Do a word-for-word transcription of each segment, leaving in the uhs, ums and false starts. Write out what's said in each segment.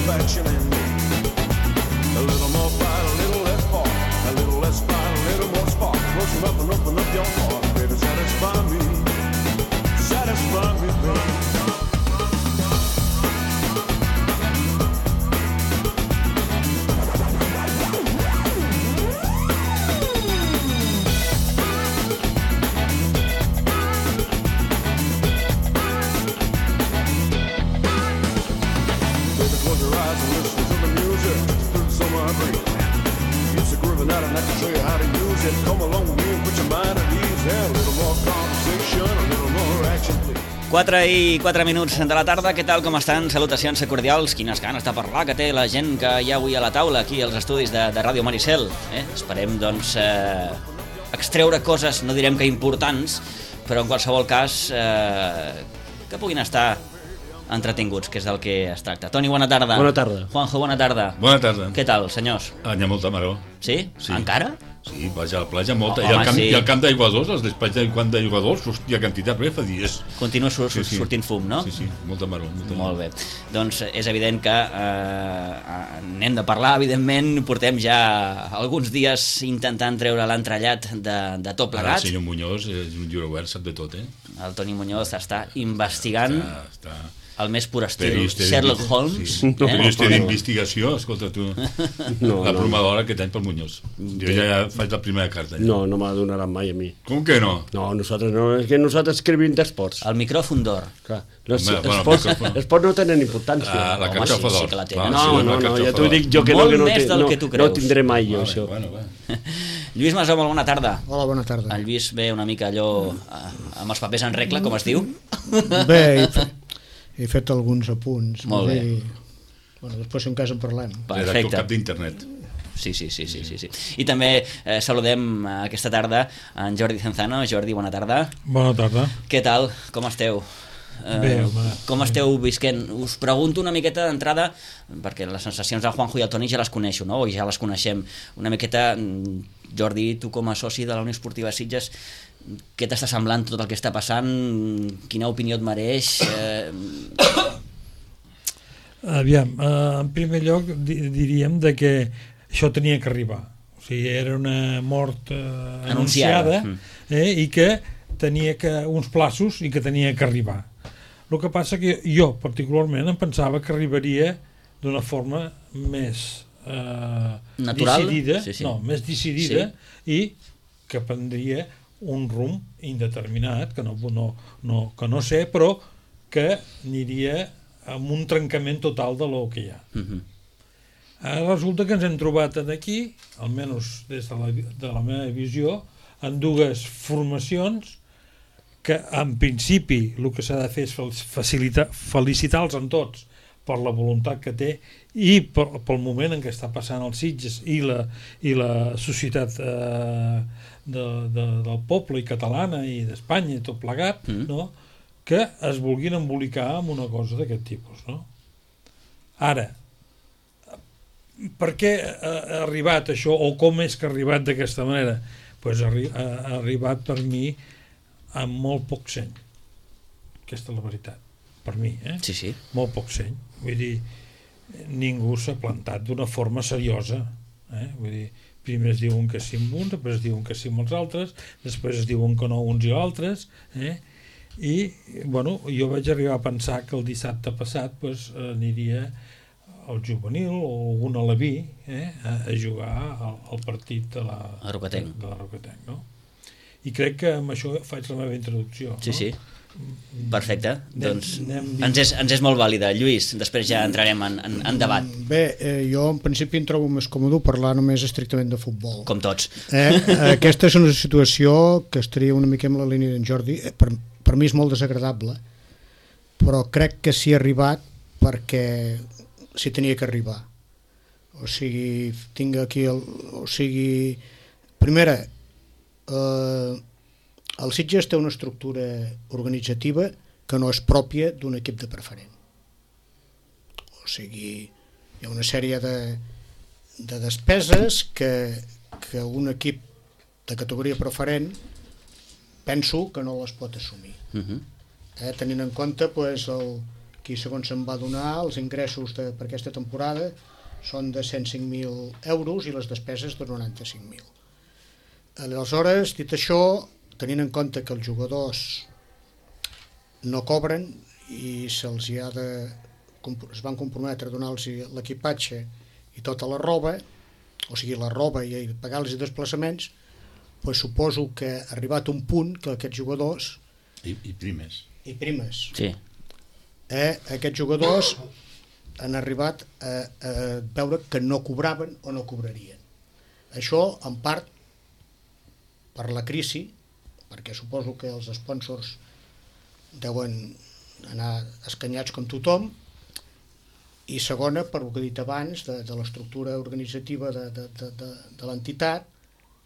satisfaction in me. A little more fight, a little less spark. A little less fight, a little more spark. Close enough and open up your heart, baby, satisfy me. Satisfy me, baby. quatre i quatre minuts de la tarda, què tal, com estan? Salutacions cordials, quines ganes de parlar que té la gent que hi ha avui a la taula, aquí als estudis de, de Ràdio Maricel. Eh? Esperem, doncs, eh, extreure coses, no direm que importants, però en qualsevol cas eh, que puguin estar entretinguts, que és del que es tracta. Toni, bona tarda. Bona tarda. Juanjo, bona tarda. Bona tarda. Què tal, senyors? Ah, hi ha molta maror. Sí? Sí. Encara? Sí, vaig a la platja, molta. Oh, I, el home, camp, sí. I el camp d'aiguadors, els despatxos del camp d'aiguadors, hòstia, quantitat, bé, fa dies. Continua sur Sí, sí. sortint fum, no? Sí, sí, molta maror. Molta Molt bé. Doncs és evident que eh, n'hem de parlar, evidentment. Portem ja alguns dies intentant treure l'entrellat de, de tot Ara plegat. el senyor Muñoz és un llibre obert, sap de tot, eh? El Toni Muñoz està investigant Està, està... el més pur estil Periodista Sherlock d'investi- Holmes. Sí. Eh? Periodista no. d'investigació, escolta tu, No, la no. plomadora aquest any pel Muñoz. Jo ja faig la primera carta. Ja. No, no me la donaran mai a mi. Com que no? No, nosotros no, és que nosaltres escrivim d'esports. El micròfon d'or. Clar, los Home, bueno, esports, micròfon. esports no tenen importància. Ah, la Home, carxofa sí, sí d'or. que la tenen. Clar, no, sí, la no, no, carxofa ja t'ho d'or. dic jo que Molt no, que no, més té, del no, que tu no creus. tindré mai jo, Vale, això. bueno, bueno. Lluís Masó, molt bona tarda. Hola, bona tarda. El Lluís ve una mica allò eh, amb els papers en regla, com es diu. Bé, he fet, he fet alguns apunts. Molt bé. I, bueno, després si en cas en parlem. Redactor Perfecte. cap d'internet. Sí, sí, sí, sí, sí, sí. I també eh, saludem eh, aquesta tarda en Jordi Cenzano. Jordi, bona tarda. Bona tarda. Què tal? Com esteu? Eh, Bé, home. com esteu visquent? Us pregunto una miqueta d'entrada, perquè les sensacions del Juanjo i el Toni ja les coneixo, no? O ja les coneixem. Una miqueta, mm, Jordi, tu com a soci de la Unió Esportiva Sitges, què t'està semblant tot el que està passant? Quina opinió et mereix? Eh, Aviam, eh, en primer lloc di diríem de que això tenia que arribar. O sigui, era una mort eh, Anunciada. anunciada, eh, i que tenia que uns plaços i que tenia que arribar. El que passa que jo particularment em pensava que arribaria d'una forma més eh, Natural? decidida, Sí, sí. no, més decidida i que prendria un rumb indeterminat, que no, no, no, que no sé, però que aniria amb un trencament total de lo que hi ha. uh -huh. Ara resulta que ens hem trobat aquí, almenys des de la, de la meva visió, en dues formacions que en principi el que s'ha de fer és facilitar, felicitar-los en tots per la voluntat que té i per, pel moment en què està passant els Sitges i la, i la societat eh, de, de, del poble i catalana i d'Espanya i tot plegat, Mm. no? Que es vulguin embolicar amb una cosa d'aquest tipus, no? Ara, per què ha arribat això, o com és que ha arribat d'aquesta manera? Pues ha, ha arribat per mi amb molt poc seny. Aquesta és la veritat, per mi, eh? Sí, sí. Molt poc seny. Vull dir, ningú s'ha plantat d'una forma seriosa, eh? Vull dir, primer es diuen que sí amb uns, després es diuen que sí amb els altres, després es diuen que no uns i altres, eh? I, bueno, jo vaig arribar a pensar que el dissabte passat pues, aniria al juvenil o algun aleví eh, a, a jugar al, al partit de la, A Roquetenc. de, de la Roquetenc, no? I crec que amb això faig la meva introducció. Sí, no? sí. Perfecte. Anem- Doncs anem ens és, ens és molt vàlida. Lluís, després ja entrarem en, en, en debat, Bé, eh, jo en principi em trobo més còmode parlar només estrictament de futbol. com tots. Eh? Aquesta és una situació que estaria una mica en la línia d'en Jordi. Eh, per, per mi és molt desagradable, però crec que s'hi ha arribat perquè s'hi tenia que arribar. O sigui, tinc aquí el, o sigui, primera, eh, el Sitges té una estructura organitzativa que no és pròpia d'un equip de preferent. O sigui, hi ha una sèrie de, de despeses que, que un equip de categoria preferent penso que no les pot assumir. Uh -huh. Eh, tenint en compte pues, el, Aquí, segons se'n va donar, els ingressos de, per aquesta temporada són de cent cinc mil euros i les despeses de noranta-cinc mil. Aleshores, dit això, tenint en compte que els jugadors no cobren i se'ls hi ha de, es van comprometre a donar-los l'equipatge i tota la roba, o sigui, la roba i pagar-los els desplaçaments, doncs suposo que ha arribat un punt que aquests jugadors... I, i primes. I primes. Sí. Eh, aquests jugadors han arribat a, a veure que no cobraven o no cobrarien. Això, en part, per la crisi, perquè suposo que els sponsors deuen anar escanyats com tothom, i segona, per el que he dit abans, de, de l'estructura organitzativa de, de, de, de, de l'entitat,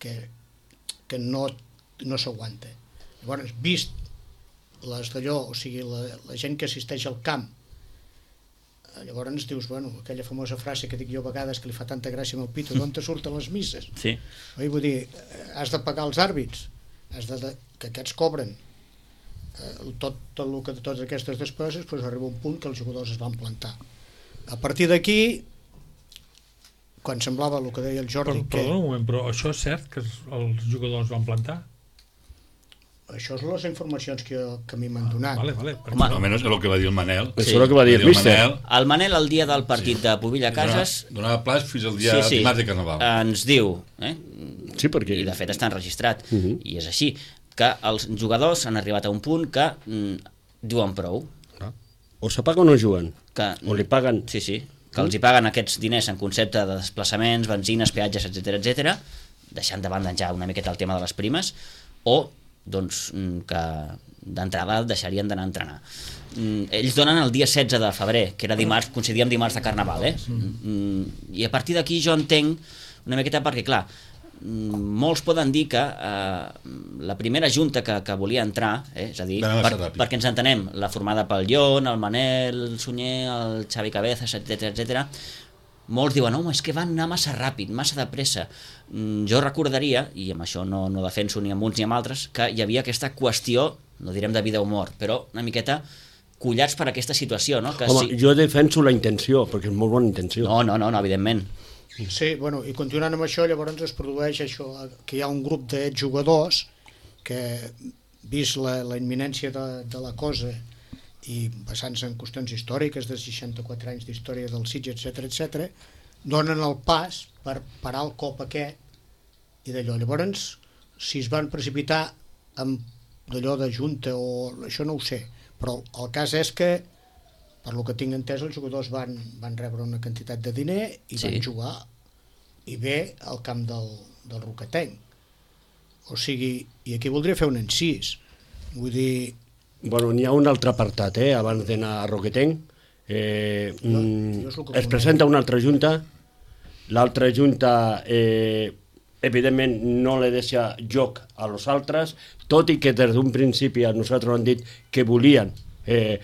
que, que no, no s'aguanta. Llavors, vist les d'allò, o sigui, la, la gent que assisteix al camp, llavors ens dius, bueno, aquella famosa frase que dic jo a vegades que li fa tanta gràcia amb el pito, d'on te surten les misses? Sí. Oi, vull dir, has de pagar els àrbits, has de, de, que aquests cobren eh, tot, tot el que de totes aquestes despeses, doncs arriba un punt que els jugadors es van plantar. A partir d'aquí, quan semblava el que deia el Jordi... Per, perdona un moment, però això és cert que els jugadors van plantar? Això són les informacions que, que a mi m'han donat. Vale, vale. Home, Almenys és el que va dir el Manel. Això és el que va dir el míster. el Manel, el dia del partit sí. de Pubilla Cases... Donava, donava plaç fins al dia sí, sí, dimarts de Carnaval. Ens diu, eh? Sí, perquè... i de fet està enregistrat, Uh -huh. i és així, que els jugadors han arribat a un punt que mm, diuen prou. O s'apaga o no juguen. Que, O li paguen... Sí, sí, que els hi paguen aquests diners en concepte de desplaçaments, benzines, peatges, etcètera, etcètera, deixant de banda ja una miqueta el tema de les primes, o doncs, que d'entrada deixarien d'anar a entrenar. Ells donen el dia setze de febrer, que era dimarts, coincidíem dimarts de Carnaval, eh? I a partir d'aquí jo entenc una miqueta perquè, clar, molts poden dir que eh, la primera junta que, que volia entrar, eh, és a dir, per, perquè ens entenem, la formada pel Llon, el Manel, el Sunyer, el Xavi Cabezas, etcètera, etcètera, molts diuen, home, és que van anar massa ràpid, massa de pressa. Mm, jo recordaria, i amb això no, no defenso ni amb uns ni amb altres, que hi havia aquesta qüestió, no direm de vida o mort, però una miqueta collats per aquesta situació, no? Que Home, si... jo defenso la intenció, perquè és molt bona intenció. No, no, no, no, evidentment. Sí, bueno, i continuant amb això, llavors es produeix això, que hi ha un grup de jugadors que, vist la, la imminència de, de la cosa i basant-se en qüestions històriques de seixanta-quatre anys d'història del Sitges, etcètera, etcètera, donen el pas per parar el cop aquest i d'allò. Llavors, si es van precipitar amb d'allò de junta o això no ho sé, però el cas és que, per lo que tinc entès, els jugadors van, van rebre una quantitat de diner i sí. van jugar i bé al camp del, del Roquetenc. O sigui, i aquí voldria fer un incís. Vull dir... Bueno, n'hi ha un altre apartat, eh, abans d'anar a Roquetenc. Eh, jo, jo es presenta una altra junta, l'altra junta eh, evidentment no li deixa joc a los altres, tot i que des d'un principi a nosaltres han dit que volien eh,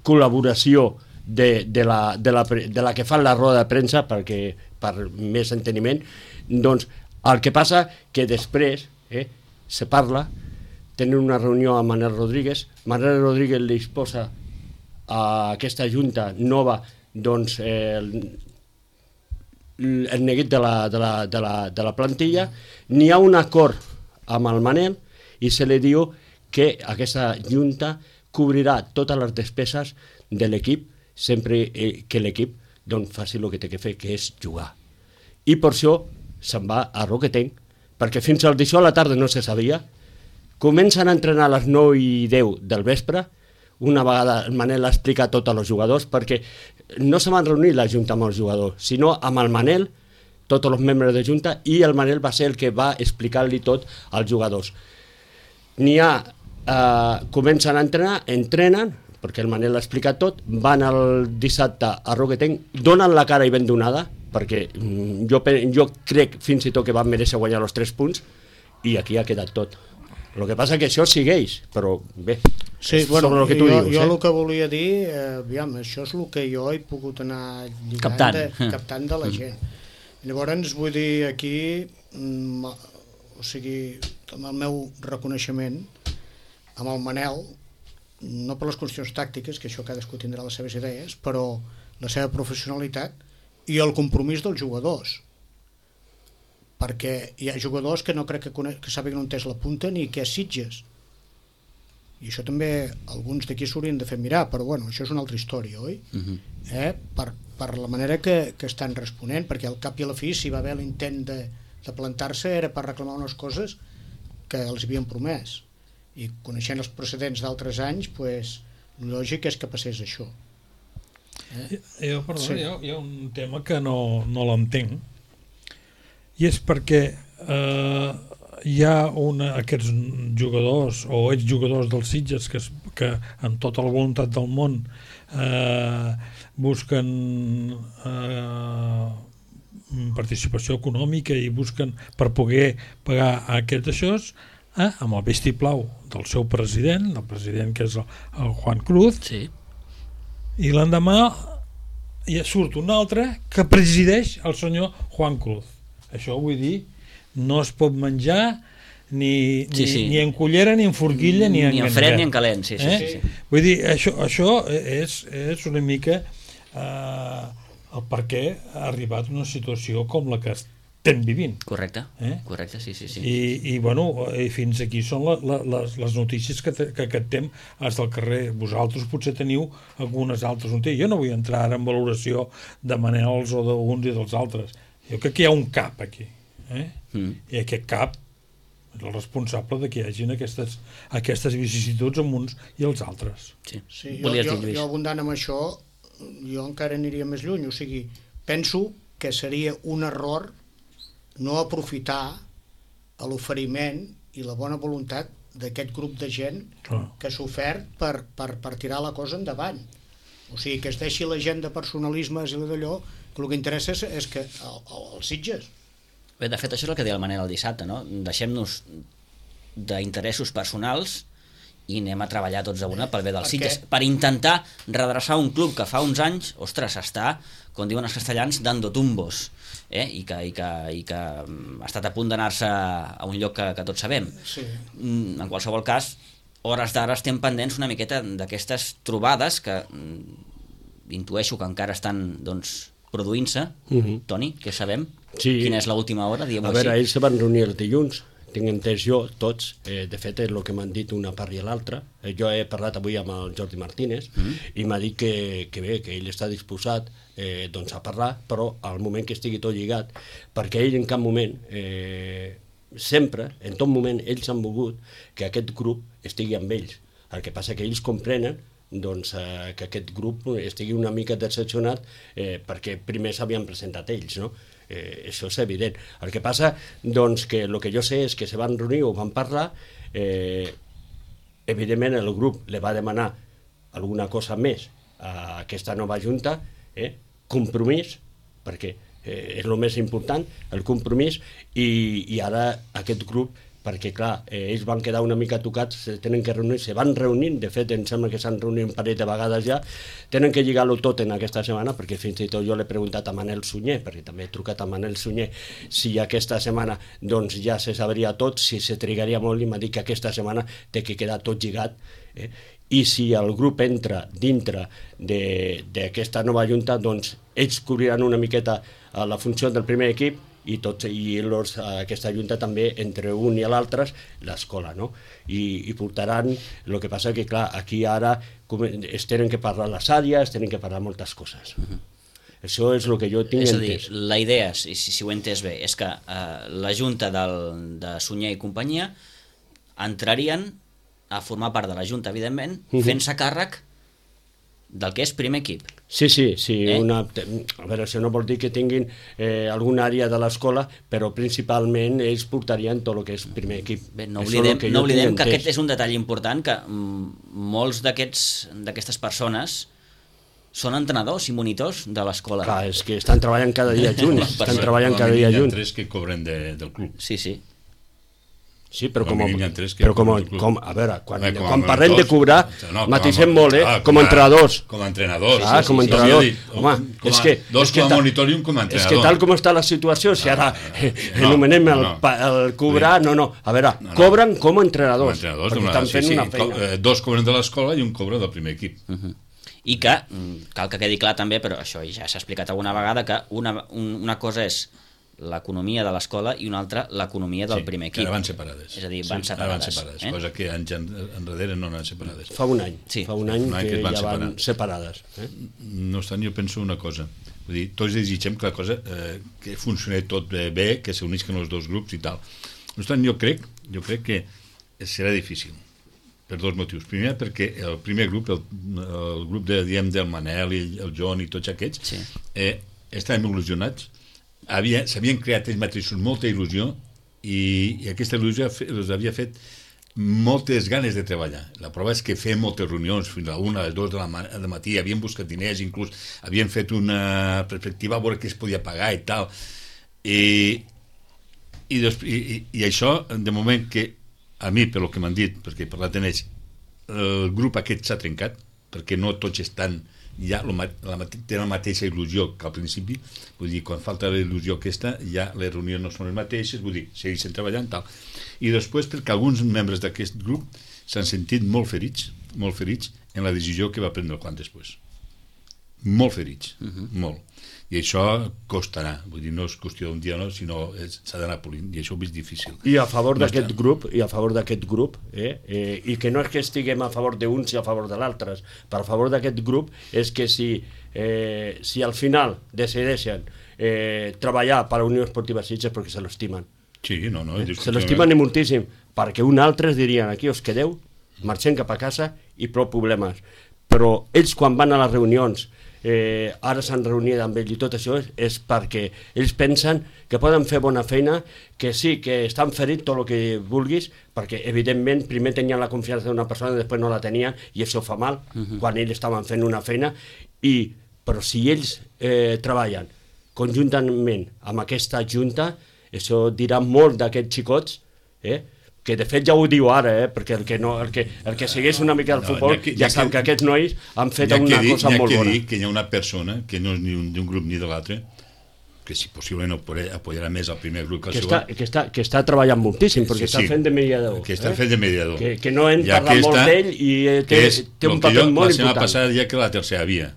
col·laboració de, de, la, de, la, de la que fan la roda de premsa perquè, per més enteniment. Doncs el que passa que després eh, se parla, tenen una reunió amb Manel Rodríguez, Manel Rodríguez li posa a aquesta junta nova doncs, eh, el, el neguit de la, de, la, de, la, de la plantilla, n'hi ha un acord amb el Manel i se li diu que aquesta junta cobrirà totes les despeses de l'equip sempre que l'equip doncs, faci el que té que fer, que és jugar. I per això se'n va a Roquetenc, perquè fins al dijous a la tarda no se sabia. Comencen a entrenar a les nou i deu del vespre, una vegada el Manel ha explicat tot als jugadors, perquè no se van reunir la junta amb els jugadors, sinó amb el Manel, tots els membres de junta, i el Manel va ser el que va explicar-li tot als jugadors. N'hi ha, eh, comencen a entrenar, entrenen, perquè el Manel ha explicat tot, van el dissabte a Roquetenc, donen la cara i ben donada, perquè jo, jo crec fins i tot que van mereixer guanyar els tres punts, i aquí ha quedat tot. El que passa que això segueix, però bé, sí, bueno, sobre el que tu jo, dius. Jo eh? el que volia dir, eh, aviam, això és el que jo he pogut anar lligant captant, de, captant de la gent. Llavors, vull dir, aquí, mm, o sigui, amb el meu reconeixement, amb el Manel, no per les qüestions tàctiques, que això cadascú tindrà les seves idees, però la seva professionalitat i el compromís dels jugadors, perquè hi ha jugadors que no crec que, cone- que sàpiguen on és la punta ni què és Sitges, i això també alguns d'aquí s'haurien de fer mirar, però bueno, això és una altra història, oi? Uh-huh. eh? per, per la manera que, que estan responent, perquè al cap i a la fi, si va haver l'intent de, de plantar-se, era per reclamar unes coses que els havien promès, i coneixent els precedents d'altres anys, pues, lògic és que passés això. Eh? Jo, perdó, Sí. hi, ha, hi ha un tema que no, no l'entenc, i és perquè eh, hi ha una, aquests jugadors o exjugadors dels Sitges que, es, que amb tota la voluntat del món eh, busquen eh, participació econòmica i busquen per poder pagar aquests aixòs, eh, amb el vistiplau del seu president, del president que és el, el Juan Cruz, Sí. i l'endemà ja surt un altre que presideix el senyor Juan Cruz. Això vull dir, no es pot menjar ni, ni, Sí, sí. ni en cullera, ni en forquilla, ni en Ni en ganivet. fred ni en calent, sí, sí, eh? sí, sí. Vull dir, això, això és, és una mica eh, el per què ha arribat una situació com la que estem vivint. Correcte, Eh? correcte, sí, sí, sí. I, i, bueno, i fins aquí són la, la, les, les notícies que, te, que aquest temps és del carrer. Vosaltres potser teniu algunes altres notícies. Jo no vull entrar ara en valoració de Manels o d'uns i dels altres. Jo crec que hi ha un cap aquí. Eh? Mm. I aquest cap és el responsable de que hi hagin aquestes, aquestes vicissituds amb uns i els altres. Sí. Sí, jo, Volies jo, dir, Lluís? jo abundant amb això, jo encara aniria més lluny, o sigui, penso que seria un error no aprofitar l'oferiment i la bona voluntat d'aquest grup de gent Clar. que s'ha ofert per, per, per tirar la cosa endavant. O sigui, que es deixi la gent de personalismes i d'allò, que el que interessa és, és que el, el, els Sitges. Bé, de fet, això és el que deia el Manel el dissabte, no? Deixem-nos d'interessos personals i anem a treballar tots a una pel bé dels Per Sitges, què? per intentar redreçar un club que fa uns anys, ostres, està, com diuen els castellans, dando tumbos, eh? I, que, i, que, i que mm, ha estat a punt d'anar-se a un lloc que, que tots sabem. Sí. Mm, En qualsevol cas, hores d'ara estem pendents una miqueta d'aquestes trobades que mm, intueixo que encara estan, doncs, produint-se. Mhm. Toni, què sabem? Sí. Quina és l'última hora, diguem-ho A veure, així? ells se van reunir el dilluns, tinc entès jo, tots, eh, de fet és el que m'han dit una part i l'altra. Eh, jo he parlat avui amb el Jordi Martínez Mm. i m'ha dit que, que bé, que ell està disposat eh, doncs a parlar, però al moment que estigui tot lligat, perquè ell en cap moment, eh, sempre, en tot moment, ells han volgut que aquest grup estigui amb ells. El que passa que ells comprenen doncs, eh, que aquest grup estigui una mica decepcionat eh, perquè primer s'havien presentat ells, no? Eh, això és evident. El que passa, doncs, que el que jo sé és que se van reunir o van parlar, eh, evidentment el grup li va demanar alguna cosa més a aquesta nova junta, eh, compromís, perquè eh, és el més important, el compromís, i, i ara aquest grup, perquè clar, eh, ells van quedar una mica tocats, se tenen que reunir, se van reunint, de fet em sembla que s'han reunit un parell de vegades ja, tenen que lligar-ho tot en aquesta setmana, perquè fins i tot jo l'he preguntat a Manel Sunyer, perquè també he trucat a Manel Sunyer, si aquesta setmana doncs ja se sabria tot, si se trigaria molt, i m'ha dit que aquesta setmana té que quedar tot lligat, eh? I si el grup entra dintre d'aquesta nova junta, doncs ells cobriran una miqueta eh, la funció del primer equip, i, tots, i los, aquesta junta també entre un i l'altre l'escola, no? I, i portaran, el que passa que clar, aquí ara com, es tenen que parlar les àrees, es tenen que parlar moltes coses. Uh-huh. Això és el que jo tinc És a dir, entès. la idea, si, si ho he entès bé, és que eh, la junta del, de Sunyer i companyia entrarien a formar part de la junta, evidentment, Mhm. fent-se càrrec del que és primer equip. Sí, sí, sí. Eh? Una, a veure, això no vol dir que tinguin eh, alguna àrea de l'escola, però principalment ells portarien tot el que és primer equip. Bé, no Això és oblidem, el que no jo oblidem tinc que entès. aquest és un detall important, que mm, molts d'aquests d'aquestes persones són entrenadors i monitors de l'escola. Clar, és que estan treballant cada dia junts, estan treballant cada dia Hi ha junts. tres que cobren de, del club. Sí, sí. Sí, però com, Com a mínim hi ha tres que però com, cobren el club. com, a veure, quan, Home, com a quan parlem de mentors, cobrar, no, matisem com a- molt, eh? clar, Com a entrenadors. Com a entrenadors. Ah, com a sí, sí, entrenador. sí, sí. Home, Com a- és que... dos és que com a ta- monitor i un com a És que entrenador. tal com està la situació, si ara eh, no, anomenem el, no. pa- el cobrar... No, no, a veure, No, no. cobren com a Com a entrenadors, entrenadors. perquè d'una- estan fent sí, sí, una feina. co- eh, Dos cobren de l'escola i un cobra del primer equip. I que, mm, cal que quedi clar també, però això ja s'ha explicat alguna vegada, que una, un, una cosa és l'economia de l'escola i una altra l'economia del Sí, primer que equip. ara van separades. És a dir, van Sí, ara separades. van separades, eh? cosa que anys en- enrere no anaven separades. Fa un any, Sí. fa un any, Un any que, que es van ja van separar. separades. Eh? No obstant, jo penso una cosa. Vull dir, tots desitgem que la cosa eh, que funcioni tot bé, bé que s'unisquen els dos grups i tal. No obstant, jo crec, jo crec que serà difícil per dos motius. Primer, perquè el primer grup, el, el grup de, diem, del Manel i el John i tots aquests, Sí. eh, estaven il·lusionats, havia, s'havien creat ells mateixos molta il·lusió i, i aquesta il·lusió fe- els havia fet moltes ganes de treballar. La prova és que feien moltes reunions, fins a una, a les dues de la, ma de matí, havien buscat diners, inclús havien fet una perspectiva a veure què es podia pagar i tal. I, i, des, i, i, i això, de moment que a mi, per lo que m'han dit, perquè he parlat amb ells, el grup aquest s'ha trencat, perquè no tots estan ja lo, la, tenen la mateixa il·lusió que al principi, vull dir, quan falta la il·lusió aquesta, ja les reunions no són les mateixes, vull dir, segueixen treballant, tal. I després perquè alguns membres d'aquest grup s'han sentit molt ferits, molt ferits en la decisió que va prendre el Juan després. Molt ferits, uh -huh. molt. I això costarà, vull dir, no és qüestió d'un dia, no, sinó s'ha d'anar polint, i això ho veig difícil. I a favor No d'aquest està. grup, i a favor d'aquest grup, eh, eh, i que no és que estiguem a favor d'uns i a favor de l'altres, per a favor d'aquest grup és que si, eh, si al final decideixen eh, treballar per a la Unió Esportiva Sitges perquè se l'estimen. Sí, no, no. Eh? Se l'estimen i moltíssim, perquè un altre dirien aquí us quedeu, marxem cap a casa i prou problemes. Però ells quan van a les reunions, eh, ara s'han reunit amb ells i tot això és, és perquè ells pensen que poden fer bona feina, que sí, que estan ferits tot el que vulguis, perquè evidentment primer tenien la confiança d'una persona i després no la tenien i això fa mal, uh-huh. quan ells estaven fent una feina, i, però si ells eh, treballen conjuntament amb aquesta junta, això dirà molt d'aquests xicots, eh? que de fet ja ho diu ara, eh? perquè el que, no, el que, el que segueix una mica el No, futbol ja que- ja ja sap que- que aquests nois han fet Ja una que dir, cosa ja molt que bona. dir que hi ha una persona que no és ni un- d'un grup ni de l'altre, que si possiblement apoyarà més el primer grup que el Que segon. està, que, està, que està treballant moltíssim, perquè Sí, està sí. fent de mediador. Que està eh? fent de mediador. Que, que no hem I parlat molt aquesta, d'ell i eh, té, que és té un el que paper jo, molt la setmana important. passada dia que la tercera via.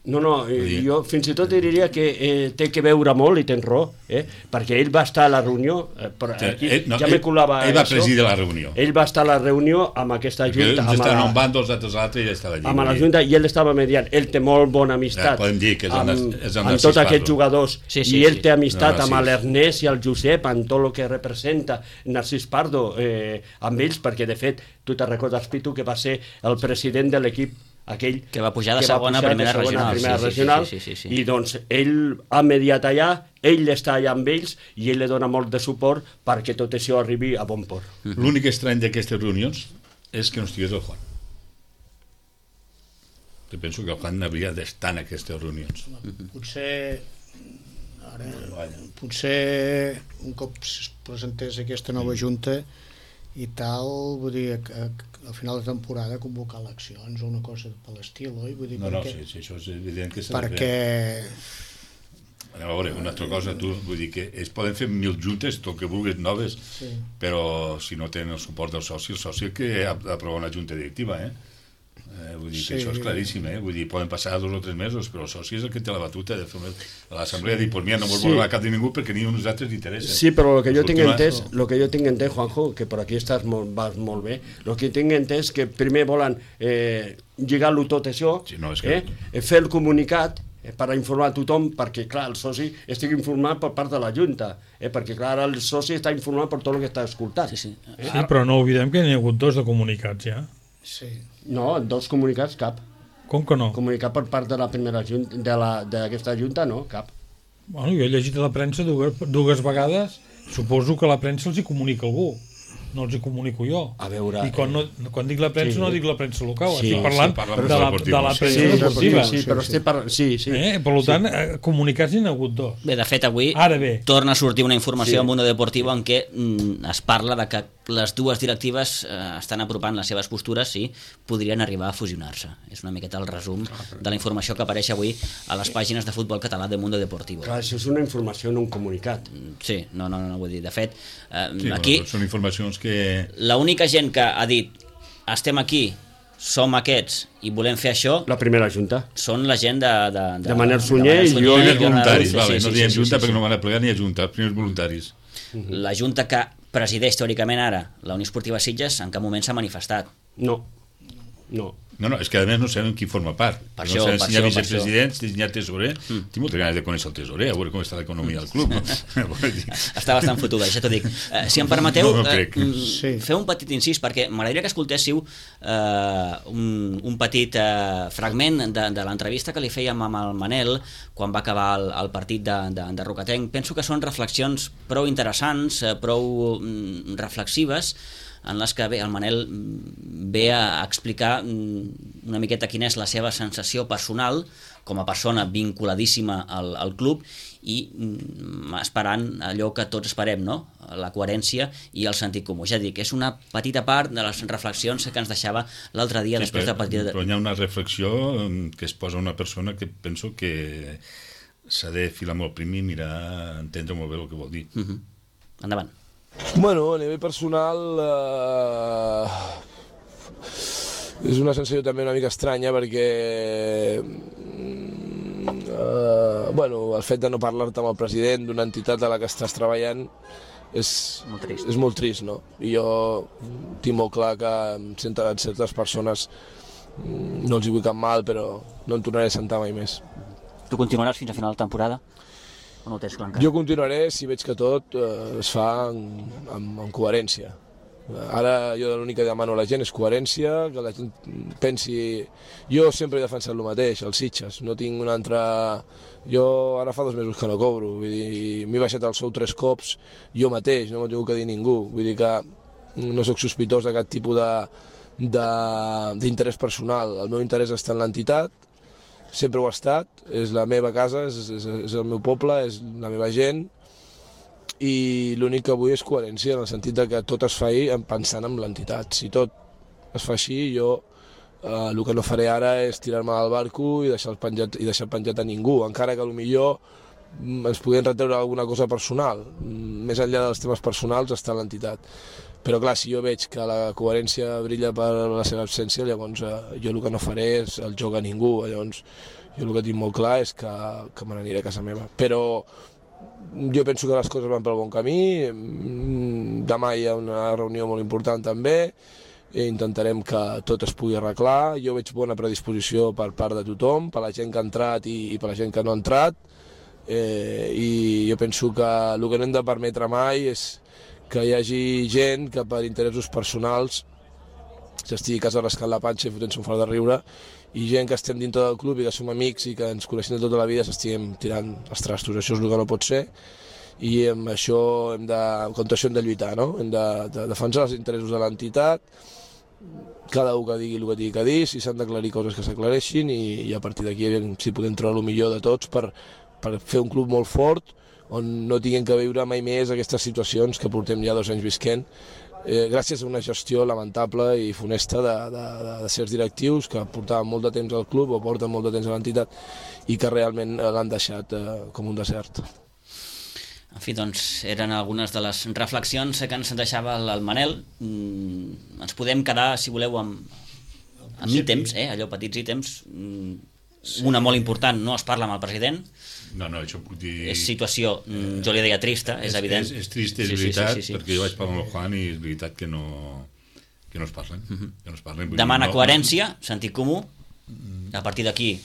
No, no, eh, dir- jo fins i tot diria que eh, té que veure molt, i tens raó, eh? perquè ell va estar a la reunió, eh, però aquí Ell, no, ja me ell- colava ell va això. presidir la reunió. Ell va estar a la reunió amb aquesta Perquè junta, uns amb estaven a un la, bàndol, els altres a l'altre, i ell estava allí. amb la vull dir. junta, i ell estava mediant. Ell té molt bona amistat Ja, podem dir que és el amb, Nas- és el amb Narcís tots aquests Pardo. jugadors, Sí, sí, i ell sí. té amistat No, amb Narcís. l'Ernest i el Josep, amb tot el que representa Narcís Pardo eh, amb ells, perquè de fet tu te recordes, Pitu, que va ser el president de l'equip aquell Que va pujar de que va segona a pujar de primera segona a regional, primera sí, sí, regional, sí, sí, sí, sí. i doncs ell ha mediat allà, ell està allà amb ells i ell li dona molt de suport perquè tot això arribi a bon port. L'únic estrany d'aquestes reunions és que no estigués el Juan. Jo penso que el Juan hauria d'estar en aquestes reunions. Potser ara, potser un cop es presentés aquesta nova junta i tal, vull dir, a, a, al final de temporada convocar eleccions o una cosa per l'estil, oi? Vull dir, No, no, perquè, sí, sí, això és evident que s'ha de perquè fer. A veure, una altra cosa, tu, vull dir que es poden fer mil juntes, tot que vulguis noves, sí. però si no tenen el suport del soci, el soci que ha d'aprovar una junta directiva, eh? Eh, vull dir que Sí. això és claríssim, eh? Vull dir, poden passar dos o tres mesos, però el soci és el que té la batuta de fer una... a l'assemblea sí. dir, pues mira, no vols Sí. sí. a cap de ningú perquè ni a nosaltres interessa. Sí, però el que jo tinc Continua, entès, no? lo que jo tinc entès, Juanjo, que per aquí estàs molt, vas molt bé, el que tinc entès que primer volen eh, lligar-lo tot això, Sí, no, és que- eh, fer el comunicat eh, per a informar a tothom, perquè clar, el soci estigui informat per part de la Junta, eh, perquè clar, ara el soci està informat per tot el que està escoltant. Sí, sí. Eh? Sí, però no oblidem que n'hi ha hagut dos de comunicats ja. sí. No, dos comunicats, cap. Com que no? Comunicat per part de la primera junta, de la- d'aquesta Junta, no, cap. Bueno, jo he llegit a la premsa dues, dues vegades, suposo que la premsa els hi comunica algú, no els hi comunico jo. A veure, I quan, no, quan dic la premsa sí. no dic la premsa local, Sí, estic parlant sí, parla de, premsa la, deportiva. de la Sí, premsa sí, deportiva. sí, sí, però estic parlant... Sí, sí. Eh? Per tant, eh, comunicats n'hi ha hagut dos. Bé, de fet, avui Ara bé. torna a sortir una informació Sí. sí. en Mundo Deportivo en què mm, es parla de que les dues directives eh, estan apropant les seves postures, sí, podrien arribar a fusionar-se. És una miqueta el resum de la informació que apareix avui a les pàgines de futbol català de Mundo Deportivo. Clar, això és una informació, no un comunicat. Sí, no, no, no, vull dir, de fet, eh, sí, aquí... Bueno, són informacions que... L'única gent que ha dit estem aquí, som aquests i volem fer això... La primera junta. Són la gent de... De, de, de Manel Sunyer i jo... Els voluntaris, sí, vale, sí, no sí, diem sí, junta sí, sí, perquè no van a plegar ni a junta, els primers voluntaris. La junta que presideix teòricament ara la Unió Esportiva Sitges en cap moment s'ha manifestat. No, no. No, no, és que a més no sabem qui forma part. Per no això, sabem per si hi ha això, per vicepresident, si hi ha tesorer. Mm. Tinc moltes ganes de conèixer el tesorer, a veure com està l'economia del club. No? Està bastant fotuda, ja t'ho dic. Eh, si em permeteu, No, no eh, crec. Sí. fer un petit incís, perquè m'agradaria que escoltéssiu eh, un, un petit eh, fragment de, de l'entrevista que li fèiem amb el Manel quan va acabar el, el partit de, de, de Rocatenc. Penso que són reflexions prou interessants, eh, prou mm, reflexives, en les que bé, el Manel ve a explicar una miqueta quina és la seva sensació personal com a persona vinculadíssima al, al club i esperant allò que tots esperem, no? La coherència i el sentit comú. Ja dic, és una petita part de les reflexions que ens deixava l'altre dia, sí, després de partir de... Però hi ha una reflexió que es posa una persona que penso que s'ha de filar molt prim i mirar, entendre molt bé el que vol dir. Uh-huh. Endavant. Bueno, a nivell personal eh, és una sensació també una mica estranya perquè eh, bueno, el fet de no parlar-te amb el president d'una entitat a la que estàs treballant és molt trist, és molt trist, no? I jo tinc molt clar que amb certes persones no els hi vull cap mal, però no em tornaré a sentar mai més. Tu continuaràs fins a final de temporada? O no ho tens clar encara? Jo continuaré si veig que tot eh, es fa amb, amb, amb coherència. Ara jo l'únic que demano a la gent és coherència, que la gent pensi... Jo sempre he defensat el mateix, els Sitges, no tinc un altre... Jo ara fa dos mesos que no cobro, vull dir, m'he baixat el sou tres cops jo mateix, no m'ho tinc que dir ningú, vull dir que no sóc sospitós de cap tipus d'interès personal, el meu interès està en l'entitat, sempre ho ha estat, és la meva casa, és, és, és el meu poble, és la meva gent, i l'únic que vull és coherència, en el sentit de que tot es fa pensant en l'entitat. Si tot es fa així, jo eh, el que no faré ara és tirar-me al barco i deixar penjat, i deixar penjat a ningú, encara que potser ens podien retreure alguna cosa personal. Més enllà dels temes personals està l'entitat. Però clar, si jo veig que la coherència brilla per la seva absència, llavors eh, jo el que no faré és el joc a ningú. Llavors jo el que tinc molt clar és que, que me n'aniré a casa meva. Però jo penso que les coses van pel bon camí, demà hi ha una reunió molt important també, i intentarem que tot es pugui arreglar. Jo veig bona predisposició per part de tothom, per la gent que ha entrat i, i per la gent que no ha entrat, eh, i jo penso que el que no hem de permetre mai és que hi hagi gent que per interessos personals s'estigui a casa rascant la panxa i fotent-se un fort de riure, i gent que estem dintre del club i que som amics i que ens coneixem de tota la vida s'estiguem tirant els trastos. Això és el que no pot ser, i amb això hem de, contra això hem de lluitar, no? Hem de, de defensar els interessos de l'entitat, cada un que digui el que tingui que dir, si s'han d'aclarir coses que s'aclareixin, i, i a partir d'aquí si podem treure el millor de tots per, per fer un club molt fort on no tinguem que viure mai més aquestes situacions que portem ja dos anys visquent, eh, gràcies a una gestió lamentable i funesta de, de, de, de certs directius que portaven molt de temps al club o porten molt de temps a l'entitat i que realment l'han deixat eh, com un desert. En fi, doncs, eren algunes de les reflexions que ens deixava el, el Manel. Mm, ens podem quedar, si voleu, amb, amb ítems, eh? Allò, petits ítems. Mm, una molt important, no es parla amb el president. No, no, això puc dir... És situació, mm, jo li deia trista, és, és evident. És, és trist, és sí, veritat, sí, sí, sí, sí. perquè jo vaig parlar amb el Juan i és veritat que no, que no es parlen. Uh-huh. Que no es parlen. Demana no, coherència, no... sentit comú, a partir d'aquí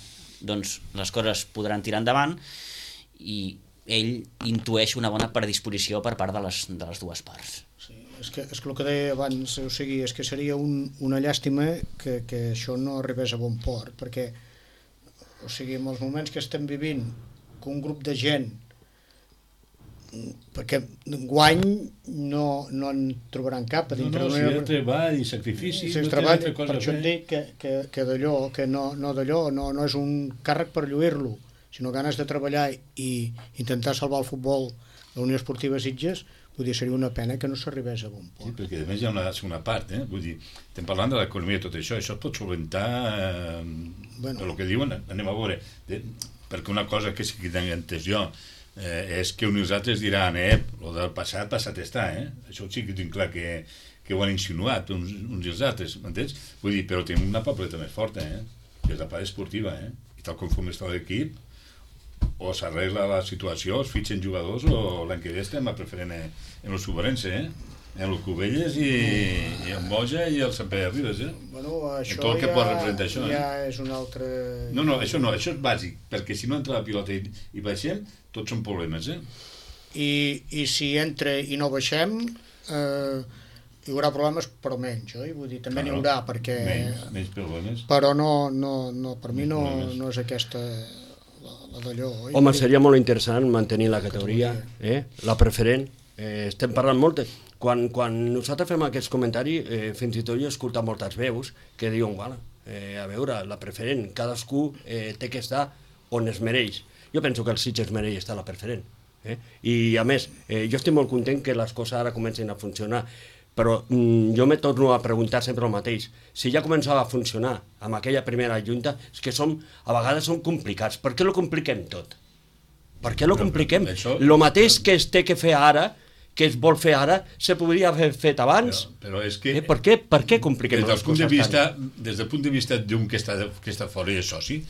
doncs, les coses podran tirar endavant, i ell intueix una bona predisposició per part de les, de les dues parts. Sí, és que, és que el que deia abans, o sigui, és que seria un, una llàstima que, que això no arribés a bon port, perquè o sigui, en els moments que estem vivint, que un grup de gent, perquè guany no, no en trobaran cap a dintre. No, no, si hi ha treball i sacrifici, si no treball, té altra cosa per això em dic que, que, que d'allò, que no, no d'allò, no, no és un càrrec per lluir-lo, sinó ganes de treballar i intentar salvar el futbol de la Unió Esportiva Sitges, vull dir, seria una pena que no s'arribés a bon port. Sí, perquè a més hi ha una segona part, eh? Vull dir, estem parlant de l'economia i tot això, això es pot solventar eh, bueno. del que diuen, anem a veure, de, perquè una cosa que sí que tinc entès jo eh, és que uns altres diran, eh, el del passat, passat està, eh? Això sí que tinc clar que, que ho han insinuat uns, uns i els altres, m'entens? Vull dir, però tenim una papeleta més forta, eh? Que és la part esportiva, eh? I tal com està l'equip, o s'arregla la situació, es fitxen jugadors, o l'any que ve estem a preferent en el Subarense, eh? En el Cubelles i, i en Boja i el Sant Pere de Ribes, eh? Bueno, això tot el que ja, pot representar això, ja eh? és un altre... No, no, això no, això és bàsic, perquè si no entra la pilota i, i baixem, tots són problemes, eh? I, i si entra i no baixem, eh, hi haurà problemes, però menys, oi? Vull dir, també n'hi haurà, perquè... Menys, menys problemes. Però no, no, no, per mi no, no és aquesta... La d'allò, oi? Home, seria molt interessant mantenir la categoria, eh? La preferent. Eh, estem parlant molt... Quan, quan nosaltres fem aquests comentaris, eh, fins i tot jo he escoltat moltes veus que diuen, bueno, eh, a veure, la preferent, cadascú eh, té que estar on es mereix. Jo penso que el Sitges mereix estar a la preferent. Eh? I a més, eh, jo estic molt content que les coses ara comencin a funcionar, però mm, jo me torno a preguntar sempre el mateix. Si ja començava a funcionar amb aquella primera junta, és que som, a vegades són complicats. Per què lo compliquem tot? Per què lo compliquem? Lo mateix que es té que fer ara, que es vol fer ara, se podria haver fet abans. Però, però és que... Eh, per, què, per què compliquem des les punt de coses vista, tant? Des del punt de vista d'un que està, que està fora i és soci,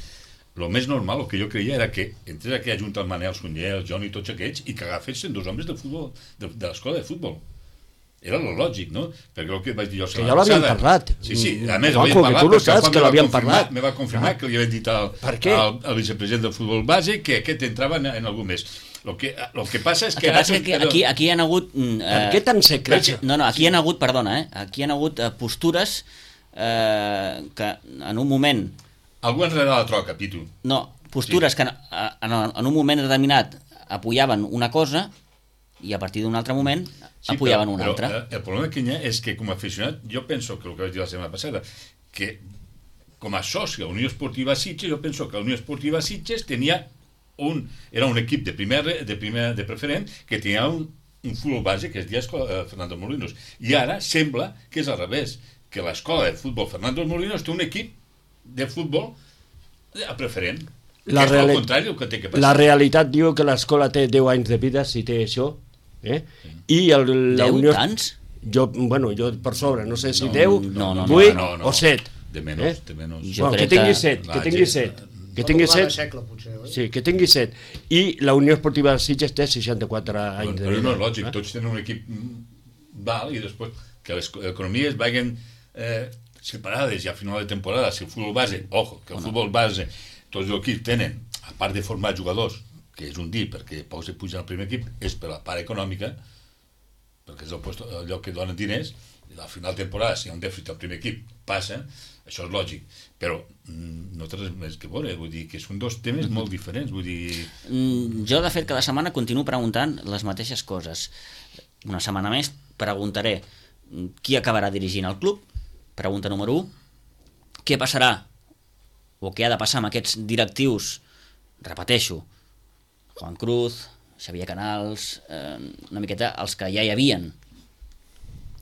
el més normal, el que jo creia, era que entrés aquella junta el Manel Sunyer, el Johnny i tots aquests, i que agafessin dos homes de futbol, de, de l'escola de futbol. Era lo lògic, no? Perquè el que vaig dir jo... Que ja l'havien parlat. Sí, sí, a més Juanjo, l'havien parlat, que tu lo perquè saps, que l'havien parlat. Me va confirmar ah. que li havien dit al, al, al vicepresident del futbol base que aquest entrava en, en algú més. Lo que, lo que passa és que... El que passa és que aquí, aquí hi ha hagut... Eh, per què tan secret? No, no, aquí hi ha hagut, perdona, eh? Aquí hi ha hagut eh, postures eh, que en un moment... Algú ens la troca, Pitu. No, postures sí. que en, en, en un moment determinat apoyaven una cosa i a partir d'un altre moment sí, apoyaven però, una però, altra. El problema que hi ha és que com a aficionat, jo penso que el que vaig dir la setmana passada, que com a soci a la Unió Esportiva Sitges, jo penso que la Unió Esportiva Sitges tenia un, era un equip de primer, de primer de preferent que tenia un, un futbol base que es deia Escola Fernando Molinos, i ara sembla que és al revés, que l'escola de futbol Fernando Molinos té un equip de futbol a preferent. La, que és reali... el contrari el que té que passar. La realitat diu que l'escola té deu anys de vida, si té això, eh? Sí. I el, la deu Unió... tants? Jo, bueno, jo per sobre, no sé si no, deu, no, no, vuit no, no, no. o set. De menys, eh? de menys. Jo bueno, que tingui set, que tingui set. Que tingui set. Segle, potser, oi? Sí, que tingui set. I la Unió Esportiva de Sitges té seixanta-quatre anys de vida. Però no és lògic, eh? Tots tenen un equip val i després que les economies vagin eh, separades i a final de temporada, si el futbol base, ojo, que el futbol base, tots els equips tenen, a part de formar jugadors, que és un dir, perquè pocs se pugen al primer equip, és per la part econòmica, perquè és el, puesto, el lloc que donen diners, i al final de temporada, si hi ha un dèficit al primer equip, passa, això és lògic, però mm, no té res més que veure, vull dir que són dos temes molt diferents, vull dir... Mm, jo, de fet, cada setmana continuo preguntant les mateixes coses. Una setmana més preguntaré qui acabarà dirigint el club, pregunta número u, què passarà o què ha de passar amb aquests directius, repeteixo, Juan Cruz, Xavier Canals, eh, una miqueta els que ja hi havien.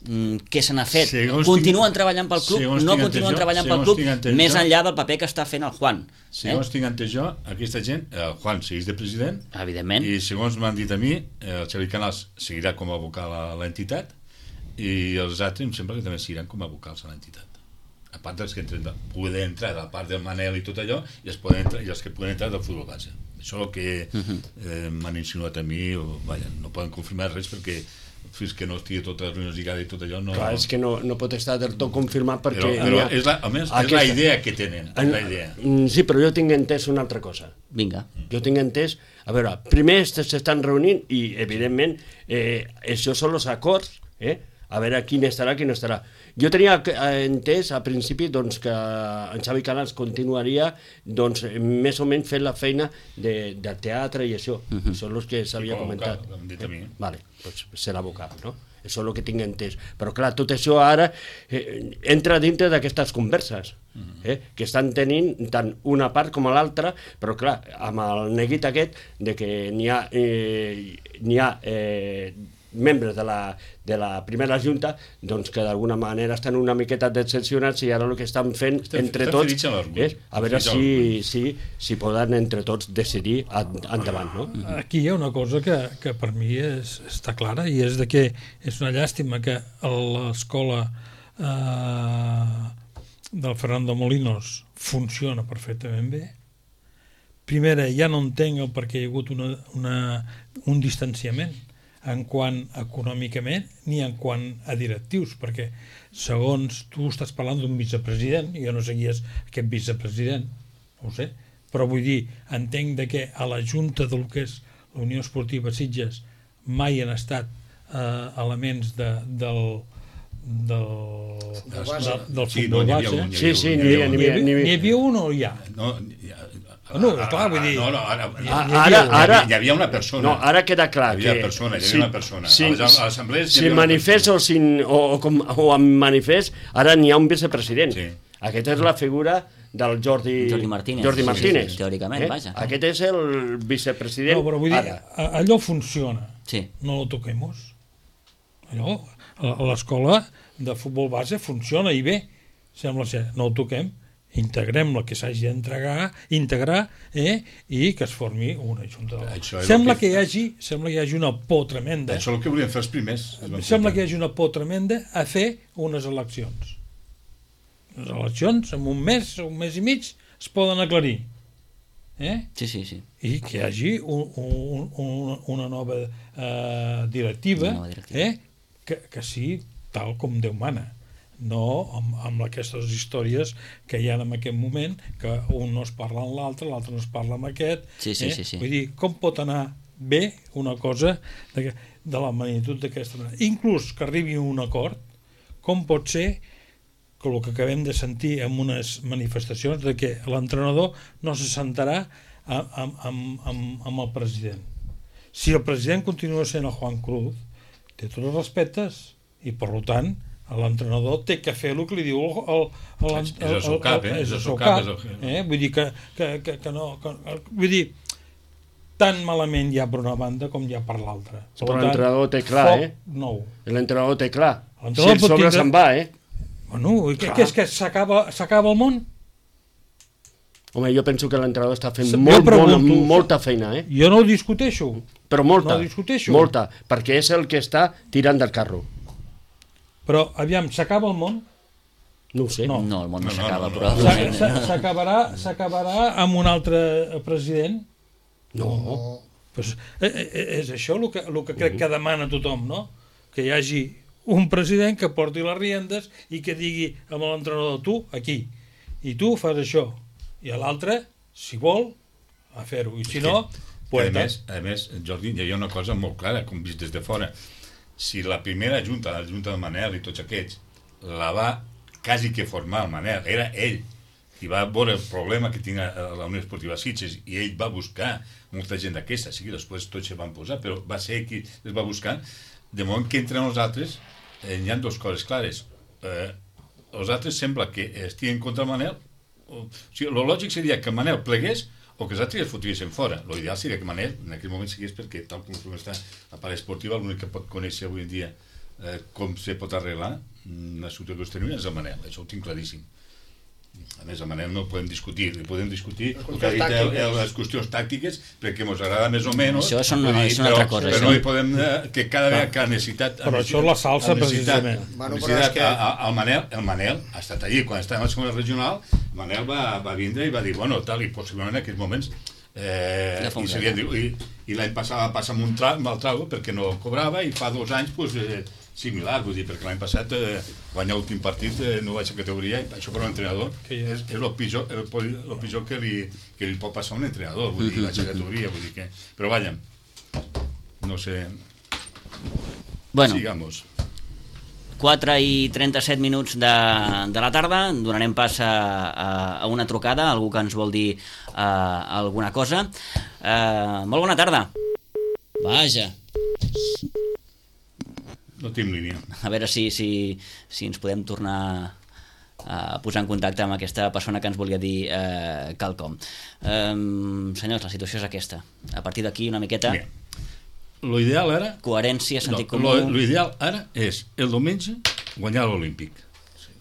Mm, què se n'ha fet? Segons continuen tinc, treballant pel club? No continuen jo, treballant pel club, més jo, enllà del paper que està fent el Juan. Segons eh? tinc entès jo, aquesta gent, el Juan segueix de president, evidentment, i segons m'han dit a mi, el Xavier Canals seguirà com a vocal a l'entitat i els altres em sembla que també seguiran com a vocals a l'entitat. A part dels que entren, poden entrar a la part del Manel i tot allò, i els, poden entrar, i els que poden entrar del futbol base. Això és el que eh, m'han insinuat a mi, o, vaja, no poden confirmar res perquè fins que no estigui tota la reunió lligada i tot allò no... Clar, és que no, no pot estar del tot confirmat perquè... Però, però és la, almenys aquesta... és la idea que tenen, és la idea. Sí, però jo tinc entès una altra cosa. Vinga. Jo tinc entès... A veure, primer s'estan reunint i, evidentment, eh, això són els acords, eh? a veure quin estarà, quin estarà. Jo tenia entès a principi doncs, que en Xavi Canals continuaria doncs, més o menys fent la feina de, de teatre i això. Uh -huh. Són els que s'havia sí, comentat. Vocal, dit a mi. Vale, doncs serà vocal, no? Això és el que tinc entès. Però clar, tot això ara eh, entra dintre d'aquestes converses eh, que estan tenint tant una part com l'altra, però clar, amb el neguit aquest de que n'hi ha, eh, n'hi ha eh, membres de la, de la primera junta doncs que d'alguna manera estan una miqueta decepcionats i ara el que estan fent estan, entre estan tots és a veure si, si, si poden entre tots decidir endavant, no? Aquí hi ha una cosa que, que per mi és, està clara i és de que és una llàstima que l'escola eh, del Fernando Molinos funciona perfectament bé. Primera, ja no entenc el perquè hi ha hagut una, una, un distanciament en quant econòmicament ni en quant a directius, perquè segons tu estàs parlant d'un vicepresident, jo no sé qui és aquest vicepresident, no ho sé, però vull dir, entenc de que a la junta del que és la Unió Esportiva Sitges mai han estat eh, elements de, del del del, del sí, futbol no, base. Un, sí, sí, n'hi havia, n'hi havia un o hi ha? No, hi ha No, clar, vull dir... No, no, ara, ara, ara, hi havia una persona. No, ara queda clar hi havia que... Persona, hi havia si, una persona. Si, a les, a les assemblees si manifest o, sin, o, o, com, o en manifest, ara n'hi ha un vicepresident. Sí. Aquesta és la figura del Jordi, Jordi Martínez. Jordi Martínez. Sí, sí, teòricament, eh? vaja. Aquest és el vicepresident. No, però vull dir, ara. allò funciona. Sí. No lo toquemos. Allò, a l'escola de futbol base funciona i bé, sembla ser, no ho toquem, integrem la que s'hagi d'entregar, integrar, eh, i que es formi una junta. Sembla que... que hi hagi, sembla que hi hagi una por tremenda. Això és el que volien fer els primers. Sembla que hi hagi una por tremenda a fer unes eleccions. Les eleccions, en un mes, un mes i mig, es poden aclarir. Eh? Sí, sí, sí. I que hi hagi un, un, un, una nova eh, directiva, una nova directiva. Eh? Que, que sigui tal com Déu mana, no amb, amb aquestes històries que hi ha en aquest moment, que un no es parla amb l'altre, l'altre no es parla amb aquest. Sí, sí, eh? sí, sí. Vull dir, com pot anar bé una cosa de, de la magnitud d'aquesta manera? Inclús que arribi a un acord, com pot ser que el que acabem de sentir en unes manifestacions de que l'entrenador no se sentarà amb, amb, amb, amb el president. Si el president continua sent el Juan Cruz, té tots els respectes i, per tant, l'entrenador té que fer el que li diu el, el, el, el, és el seu cap, eh? És el seu cap, eh? Vull dir que, que, que, que no... Que, vull dir, tan malament hi ha per una banda com hi ha per l'altra. Però l'entrenador té clar, eh? Nou. L'entrenador té clar. Si el sobre se'n va, eh? Bueno, què és que s'acaba el món? Home, jo penso que l'entrenador està fent molt bona, molta feina, eh? Jo no ho discuteixo. Però molta, no ho discuteixo. molta, perquè és el que està tirant del carro. Però, aviam, s'acaba el món? No ho sé. No, no el món no, no s'acaba, no, no, però... no. S'acabarà s'acabarà amb un altre president? No. no. Pues, és això el que, el que crec que demana tothom, no? Que hi hagi un president que porti les riendes i que digui amb l'entrenador, tu, aquí, i tu fas això. I l'altre, si vol, a fer-ho. I si no, pues... A més, a més, Jordi, hi havia una cosa molt clara, com vist des de fora. Si la primera junta, la junta del Manel i tots aquests, la va quasi que formar el Manel, era ell, i va veure el problema que tenia la Unió Esportiva Sitges, i ell va buscar molta gent d'aquesta, sí que després tots se van posar, però va ser qui es va buscar. De moment que entre nosaltres eh, hi ha dues coses clares. Eh, els altres sembla que estiguen contra el Manel. O sigui, el lògic seria que Manel plegués o que els altres es fotuessin fora. L'ideal seria que Manel en aquell moment seguís, perquè tal com està la part esportiva, l'únic que pot conèixer avui en dia eh, com se pot arreglar una situació que es tenia és el Manel, això ho tinc claríssim. A més, el Manel no ho podem discutir, li podem discutir el que ha dit el, el, les qüestions tàctiques, perquè ens agrada més o menys. Això és una, dir, és una però, altra cosa. Però no hi podem, eh, que cada vegada que ha necessitat... Però això és la salsa, precisament. Bueno, que... el, Manel, el Manel ha estat allí, quan estava en la segona regional, el Manel va, va vindre i va dir, bueno, tal, i possiblement en aquells moments... Eh, i i, i l'any passat va passar amb un tra, amb el trago perquè no cobrava, i fa dos anys pues, eh, similar, vull dir, perquè l'any passat eh, guanyar l'últim partit eh, no baixa categoria, i això per un entrenador és, és el pitjor, el, el pitjor que, li, que li pot passar a un entrenador, vull dir, baixa categoria, vull dir que... Però vaja, no sé... Bueno. Sigamos. quatre i trenta-set minuts de, de la tarda. Donarem pas a, a, a una trucada, algú que ens vol dir uh, alguna cosa. Uh, molt bona tarda. Vaja. No tinc línia. A veure si, si, si ens podem tornar a posar en contacte amb aquesta persona que ens volia dir eh, quelcom. Eh, senyors, la situació és aquesta. A partir d'aquí, una miqueta... Mira, lo ideal ara... Coherència, sentit no, comú... Lo, lo ideal ara és el diumenge guanyar l'Olímpic. Sí.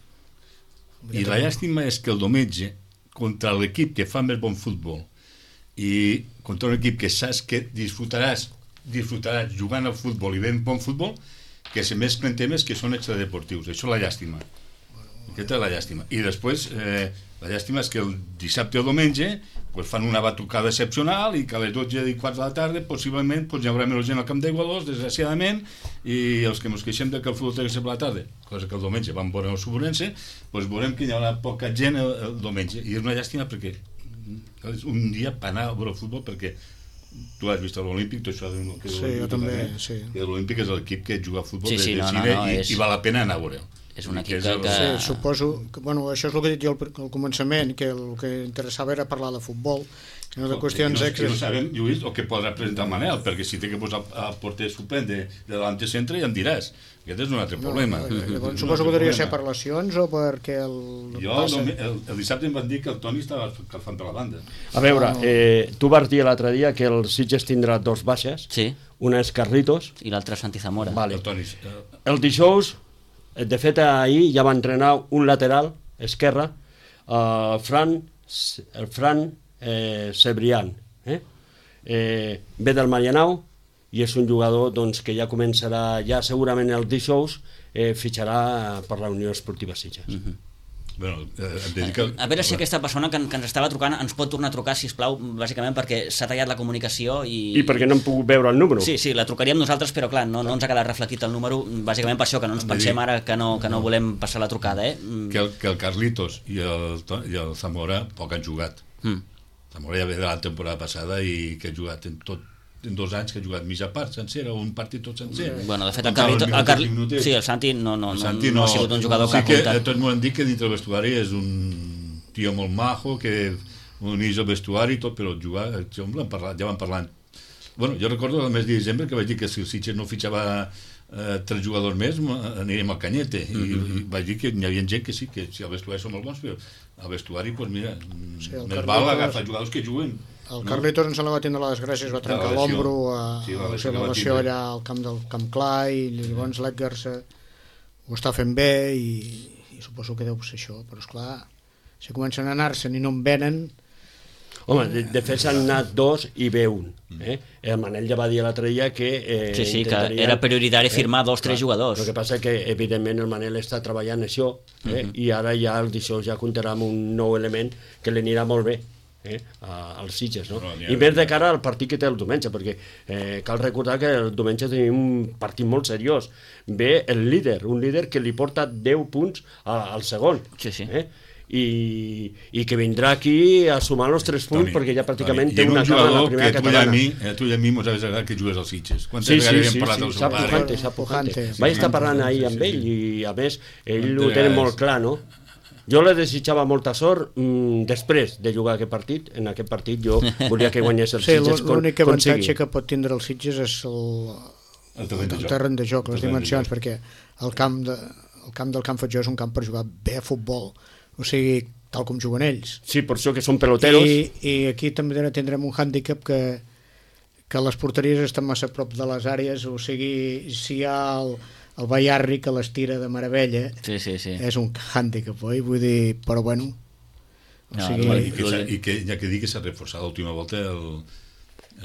I la llàstima és que el diumenge, contra l'equip que fa més bon futbol i contra un equip que saps que disfrutaràs, disfrutaràs jugant al futbol i ben bon futbol, que se mesclen temes que són extradeportius. Això és la llàstima. Aquesta és la llàstima. I després, eh, la llàstima és que el dissabte o diumenge pues, fan una batucada excepcional i que a les dotze i quarts de la tarda possiblement pues, hi haurà menys gent al camp d'Igualos, desgraciadament, i els que ens queixem de que el futbol té que ser per la tarda, cosa que el diumenge vam veure el Suburense, pues, veurem que hi haurà poca gent el, el diumenge. I és una llàstima perquè és un dia per anar a veure el futbol, perquè tu has vist l'Olímpic, tu això que sí, jo també, sí. L'Olímpic és l'equip que juga a futbol sí, sí, de, de no, cine no, no, i, és... i val la pena anar a veure'l. És un equip que... que... que... Sí, suposo que, bueno, això és el que he dit jo al, al començament, que el que interessava era parlar de futbol, no de qüestions no, extras. No sabem, Lluís, el que podrà presentar Manel, perquè si té que posar a porter suplent de, de davant centre ja em diràs. Aquest és un altre problema. No, llavors, mm-hmm. Suposo que podria ser per lesions o perquè el... Jo passa... el, el, el dissabte em van dir que el Toni estava calfant per la banda. A veure, eh, tu vas dir l'altre dia que el Sitges tindrà dos baixes, sí. Una és Carlitos i l'altra és Santi Zamora. vale. El Toni... Eh... El dijous, de fet ahir ja va entrenar un lateral esquerre, el Fran, el Fran eh, Cebrián, eh? Eh, ve del Marianao i és un jugador doncs, que ja començarà, ja segurament el dijous eh, fitxarà per la Unió Esportiva Sitges. Mm-hmm. Bueno, eh, em dedica... A veure si aquesta persona que, que ens estava trucant ens pot tornar a trucar, sisplau, bàsicament perquè s'ha tallat la comunicació i... I perquè no hem pogut veure el número. Sí, sí, la trucaríem nosaltres, però clar, no, no ens ha quedat reflectit el número, bàsicament per això, que no ens pensem ara que no, que no volem passar la trucada, eh? Que el, que el Carlitos i el, i el Zamora poc han jugat. Mm. Zamora ja ve de la temporada passada i que ha jugat en tot en dos anys que ha jugat mitja part sencera o un partit tot sencer. Bueno, de fet, el Carlito, el Carli... sí, el Santi no, no, no, Santi no, no ha sigut un jugador sí que ha comptat. Sí que tots m'ho han dit que dintre el vestuari és un tio molt majo, que unís el vestuari i tot, però jugar, ja vam parlar, ja vam parlar. Bueno, jo recordo el mes de desembre que vaig dir que si el Sitges no fitxava eh, tres jugadors més aniríem al Canyete, i, mm-hmm. i vaig dir que hi havia gent que sí, que si el vestuari són molt bons, però al vestuari, doncs mira, sí, més val agafar jugadors que juguen. El Carlitos ens la va tindre la desgràcia, es va trencar l'ombro a, sí, a la seva lesió allà al camp del Camp Clar i llavors l'Edgar ho està fent bé i, i suposo que deu ser això, però esclar, si comencen a anar-se'n i no en venen... Home, de, de fet s'han anat dos i ve un. Eh? El Manel ja va dir l'altre dia que... Eh, sí, sí, que era prioritari firmar eh, dos, tres jugadors. El que passa que, evidentment, el Manel està treballant això eh? uh-huh. i ara ja el dijous ja comptarà amb un nou element que li anirà molt bé. Eh, als Sitges, no? no I més de cara al partit que té el diumenge, perquè eh, cal recordar que el diumenge tenim un partit molt seriós. Ve el líder, un líder que li porta deu punts a, al segon. Sí, sí. Eh? I, i que vindrà aquí a sumar els tres punts, Toni, perquè ja pràcticament Toni, té una cara a la primera catalana. I a tu i a mi mos hagués agradat que jugués als Sitges. Quantes sí, sí, vegades sí, hem parlat sí, del sí, seu pare? Pujante, sap Pujante. Vaig estar parlant ahir amb ell i, a més, ell ho té molt clar, no? Jo li desitjava molta sort mm, després de jugar aquest partit. En aquest partit jo volia que guanyés el sí, Sitges. L'únic avantatge que pot tindre el Sitges és el, el, terreny, el terreny de joc, les dimensions, perquè el camp, de, el camp del Camp Fatjó és un camp per jugar bé a futbol, o sigui, tal com juguen ells. Sí, per això que són peloteros. I, i aquí també tindrem un hàndicap que, que les porteries estan massa a prop de les àrees, o sigui, si hi ha el, el Bayarri que les tira de meravella, sí, sí, sí. és un hàndicap, oi? Vull dir, però bueno... O no, sigui... no, i, que, i que ja que dic que s'ha reforçat l'última volta el,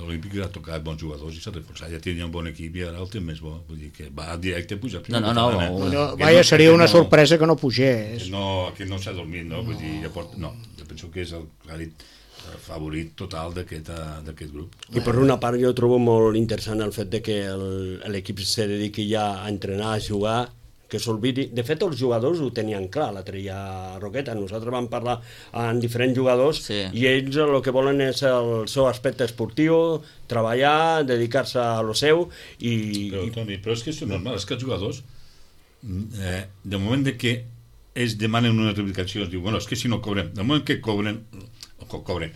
l'Olímpic ha tocat bons jugadors i s'ha reforçat, ja tenia un bon equip i ara el té més bo, vull dir que va directe a pujar no, no, no, no, no, no vaja, no, seria una no, sorpresa que no pugés no, que no s'ha dormit, no? Vull dir, ja porta, no, jo penso que és el clarit favorit total d'aquest grup. I per una part jo trobo molt interessant el fet de que l'equip se dediqui ja a entrenar, a jugar, que s'olvidi. De fet, els jugadors ho tenien clar l'altre dia a Roqueta. Nosaltres vam parlar amb diferents jugadors sí. i ells el que volen és el seu aspecte esportiu, treballar, dedicar-se a lo seu i... Però, Toni, però és que és normal, és que els jugadors eh, de moment de que ells demanen unes reivindicacions, diu, bueno, és que si no cobrem, de moment que cobren, co cobren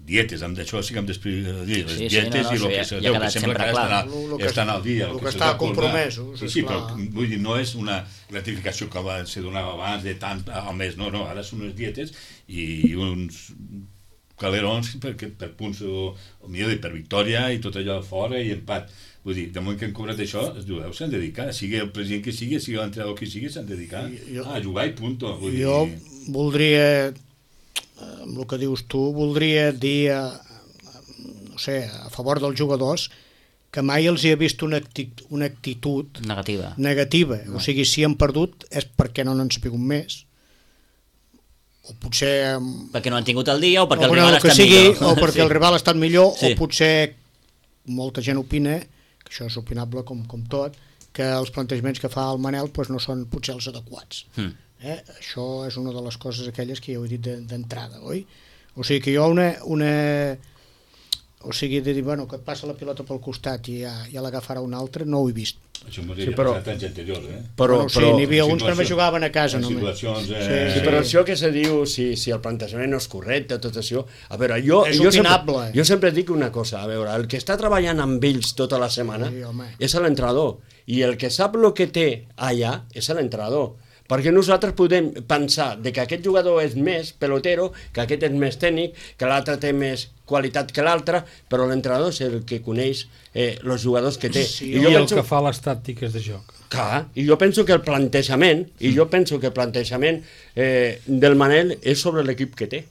dietes, amb això sí que hem d'explicar les sí, dietes sí, no, no, i el que ja, se ja deu, ha que sembla que ara estan, Lo- lo a, que estan al dia, lo el que que està se'ls ha acordat. compromesos, Sí, sí, però esclar. vull dir, no és una gratificació que va, se donava abans de tant al mes, no, no, ara són unes dietes i uns calerons per, per punts o, o millor dir, per victòria i tot allò fora i empat. Vull dir, de moment que han cobrat això, els jugadors s'han dedicat, sigui el president que sigui, sigui l'entrenador que sigui, s'han dedicat Jo- a jugar i punto. Vull dir, Jo voldria, amb el que dius tu, voldria dir, eh, no sé, a favor dels jugadors, que mai els hi he vist una, actitud, una actitud Negativa. negativa. O sigui, si han perdut és perquè no n'han sabut més. O potser... em, Perquè no han tingut el dia o perquè o, el bueno, rival el que està sigui, millor. o perquè Sí. el rival ha estat millor, Sí. o potser molta gent opina, que això és opinable com, com tot, que els plantejaments que fa el Manel pues, no són potser els adequats. Mm. Eh? Això és una de les coses aquelles que ja ho he dit de- d'entrada, oi? O sigui que jo una... una o sigui, de dir, bueno, que et passa la pilota pel costat i ja, ja l'agafarà un altre, no ho he vist. Això m'ho Sí, havia però- passat anys anteriors, eh? Però, bueno, sí, però, n'hi havia uns que situació- només jugaven a casa, en només. situacions, eh, Sí, sí, però això que se diu, si, si el plantejament no és correcte, tot això... A veure, jo, És jo, opinable. sempre, jo sempre dic una cosa, a veure, el que està treballant amb ells tota la setmana Sí, home. és l'entrenador, i el que sap el que té allà és l'entrenador. Perquè nosaltres podem pensar de que aquest jugador és més pelotero, que aquest és més tècnic, que l'altre té més qualitat que l'altre, però l'entrenador és el que coneix eh, els jugadors que té. Sí, I el que fa les tàctiques de joc. Clar, i jo penso que el plantejament, i jo penso que el plantejament eh, del Manel és sobre l'equip que té.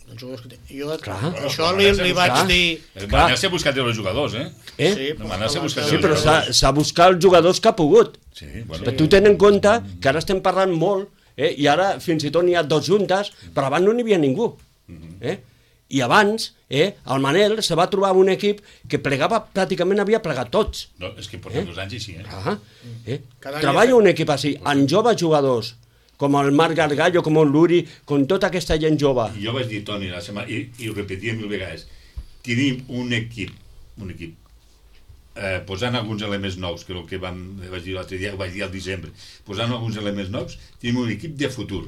Els jugadors que té. Jo, Clar. això li, li vaig Clar. dir... El Manel s'ha buscat els jugadors, eh? Eh? Sí, El Manel s'ha buscat Sí, els però s'ha jugadors. s'ha buscat els jugadors que ha pogut. Sí, bueno. Però tu ten en compte que ara estem parlant molt, eh? I ara fins i tot n'hi ha dos juntes, però abans no n'hi havia ningú. Eh? I abans, eh, el Manel se va trobar amb un equip que plegava, pràcticament havia plegat tots. No, és que porta dos anys així, eh? Ah, eh? Cada any Treballa ha fet- un equip així, amb joves jugadors, com el Marc Gargallo, com el Luri, com tota aquesta gent jove. I jo vaig dir, Toni, la setmana, i, i ho repetia mil vegades, tenim un equip, un equip, eh, posant alguns elements nous, que el que vam, vaig dir l'altre dia, ho vaig dir al desembre, posant alguns elements nous, tenim un equip de futur,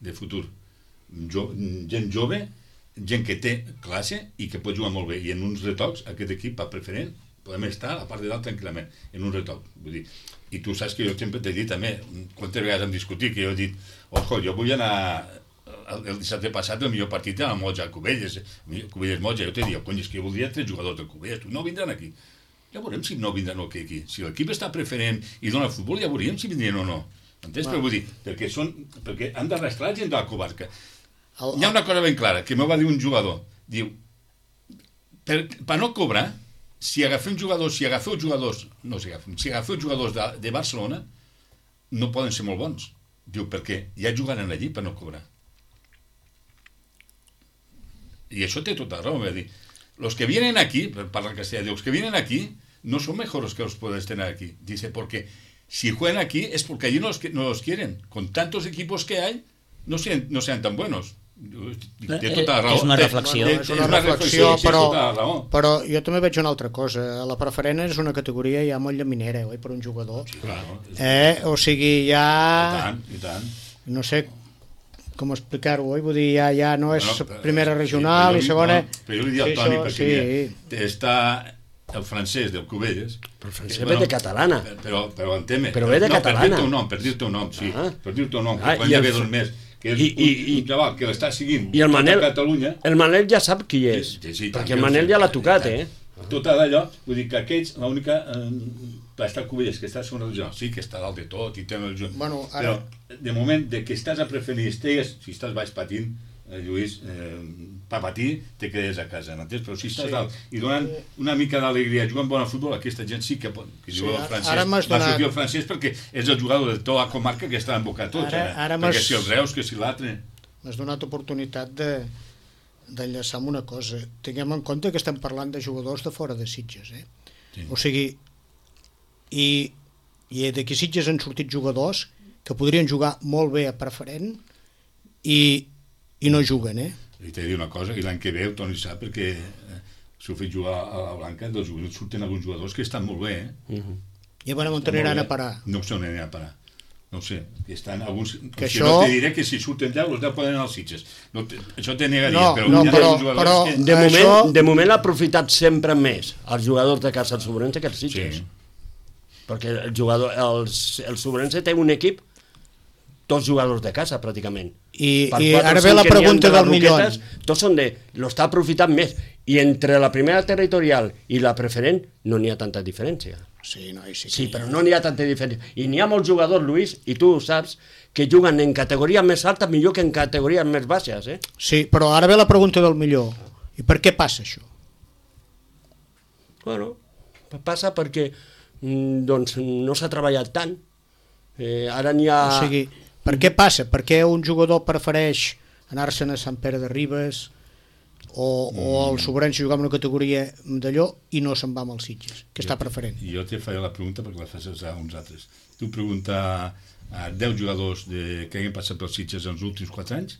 de futur. Jo, gent jove, gent que té classe i que pot jugar molt bé. I en uns retocs, aquest equip va preferent, podem estar a part de dalt tranquil·lament, en un retoc. Vull dir, i tu saps que jo sempre t'he dit també, quantes vegades hem discutit, que jo he dit, ojo, jo vull anar el, el dissabte passat el millor partit era el Motja, Cubelles, Cubelles Motja, jo t'he dit, cony, és que jo voldria tres jugadors del Cubelles, tu no vindran aquí. Ja veurem si no vindran o què aquí. Si l'equip està preferent i dona futbol, ja veuríem si vindrien o no. Entens? Però vull dir, perquè, són, perquè han d'arrastrar gent de la comarca. El, Hi ha una cosa ben clara, que m'ho va dir un jugador. Diu, per, per no cobrar, si agafem jugadors, si agafeu jugadors, no si agafem, si agafeu jugadors de, de Barcelona, no poden ser molt bons. Diu, perquè ja jugaran allí per no cobrar. I això té tota la raó, va dir. Los que vienen aquí, per parlar castellà, diu, los que vienen aquí no son mejores que los puedes tener aquí. Dice, porque si juegan aquí es porque allí no los, no los quieren. Con tantos equipos que hay, no sean, no sean tan buenos. Té tota la raó. És una Té- reflexió. té- és té una reflexió, sí, té però, tota la raó. però jo també veig una altra cosa. La preferent és una categoria ja molt llaminera, oi, per un jugador. Sí, clar, no? Eh? O sigui, I ja... tant, i tant. No sé com explicar-ho, oi? Vull dir, ja, ja no és Bueno, però- primera sí, regional però i jo- segona... no, però jo li dic al Sí, Toni, això, perquè sí. mira, està el francès del Cubelles. Però el francès ve de catalana. Però, però entén-me. Però ve de no, catalana. Per dir-te un nom, per dir-te un nom, sí. Ah. Per dir-te un nom, Ah, que quan i ja el ve fr- dos més, que és I- i- un, i- un xaval que l'està seguint I el Manel, tota Catalunya. el Manel ja sap qui és, Sí, sí, perquè tant, el Manel ja l'ha sí, tocat, tant. eh? Tot d'allò, vull dir que aquests, l'única... Eh, està el Cubelles, que està a segona regional, sí que està dalt de tot i té el junt. Bueno, ara- Però, de moment, de que estàs a preferir, estigues, si estàs baix patint, eh, Lluís, eh, per patir, te quedes a casa, m'entens? Però si estàs Sí. dalt i donant una mica d'alegria jugant bon a futbol, aquesta gent sí que pot... Que Sí, sí, el ara- francès, ara m'has va donat- sortir el francès perquè és el jugador de tota la comarca que està embocat tots, Ara- eh? ara perquè m'has- si els Reus, que si l'altre... M'has donat oportunitat de d'enllaçar amb una cosa. Tinguem en compte que estem parlant de jugadors de fora de Sitges, eh? Sí. O sigui, i, i d'aquí Sitges han sortit jugadors que podrien jugar molt bé a preferent i, i no juguen, eh? I t'he de dir una cosa, i l'any que ve el Toni sap, perquè eh, s'ho fet jugar a la Blanca, dels jugadors surten alguns jugadors que estan molt bé, eh? I a veure on aniran a parar. No sé on aniran a parar. No ho sé, que estan alguns... Que si això... no te diré que si surten deu, els deu poden anar als Sitges. No te, això te negaria, No, però... no, hi ha però- jugadors però- que... De moment, Això- de moment ha aprofitat sempre més els jugadors de casa del Sobrense que els Sitges. Sí. Perquè el jugador, els, el Sobrense té un equip, dos jugadors de casa, pràcticament. I, Per i quatre o ara ve cinc la que n'hi ha pregunta de les del milió. Roquetes, tots són de... Lo està aprofitant més. I entre la primera territorial i la preferent no n'hi ha tanta diferència. Sí, no, sí, Sí, però no n'hi ha tanta diferència. I n'hi ha molts jugadors, Lluís, i tu ho saps, que juguen en categoria més alta millor que en categories més baixes, eh? Sí, però ara ve la pregunta del millor. I per què passa això? Bueno, passa perquè mm, doncs, no s'ha treballat tant. Eh, ara n'hi ha... O sigui, per què passa? Per què un jugador prefereix anar-se'n a Sant Pere de Ribes o, o el Sobrense jugar en una categoria d'allò i no se'n va amb els Sitges? Què està preferent? Jo te faré la pregunta perquè la fas a uns altres. Tu pregunta a deu jugadors de, que hagin passat pels Sitges en els últims quatre anys,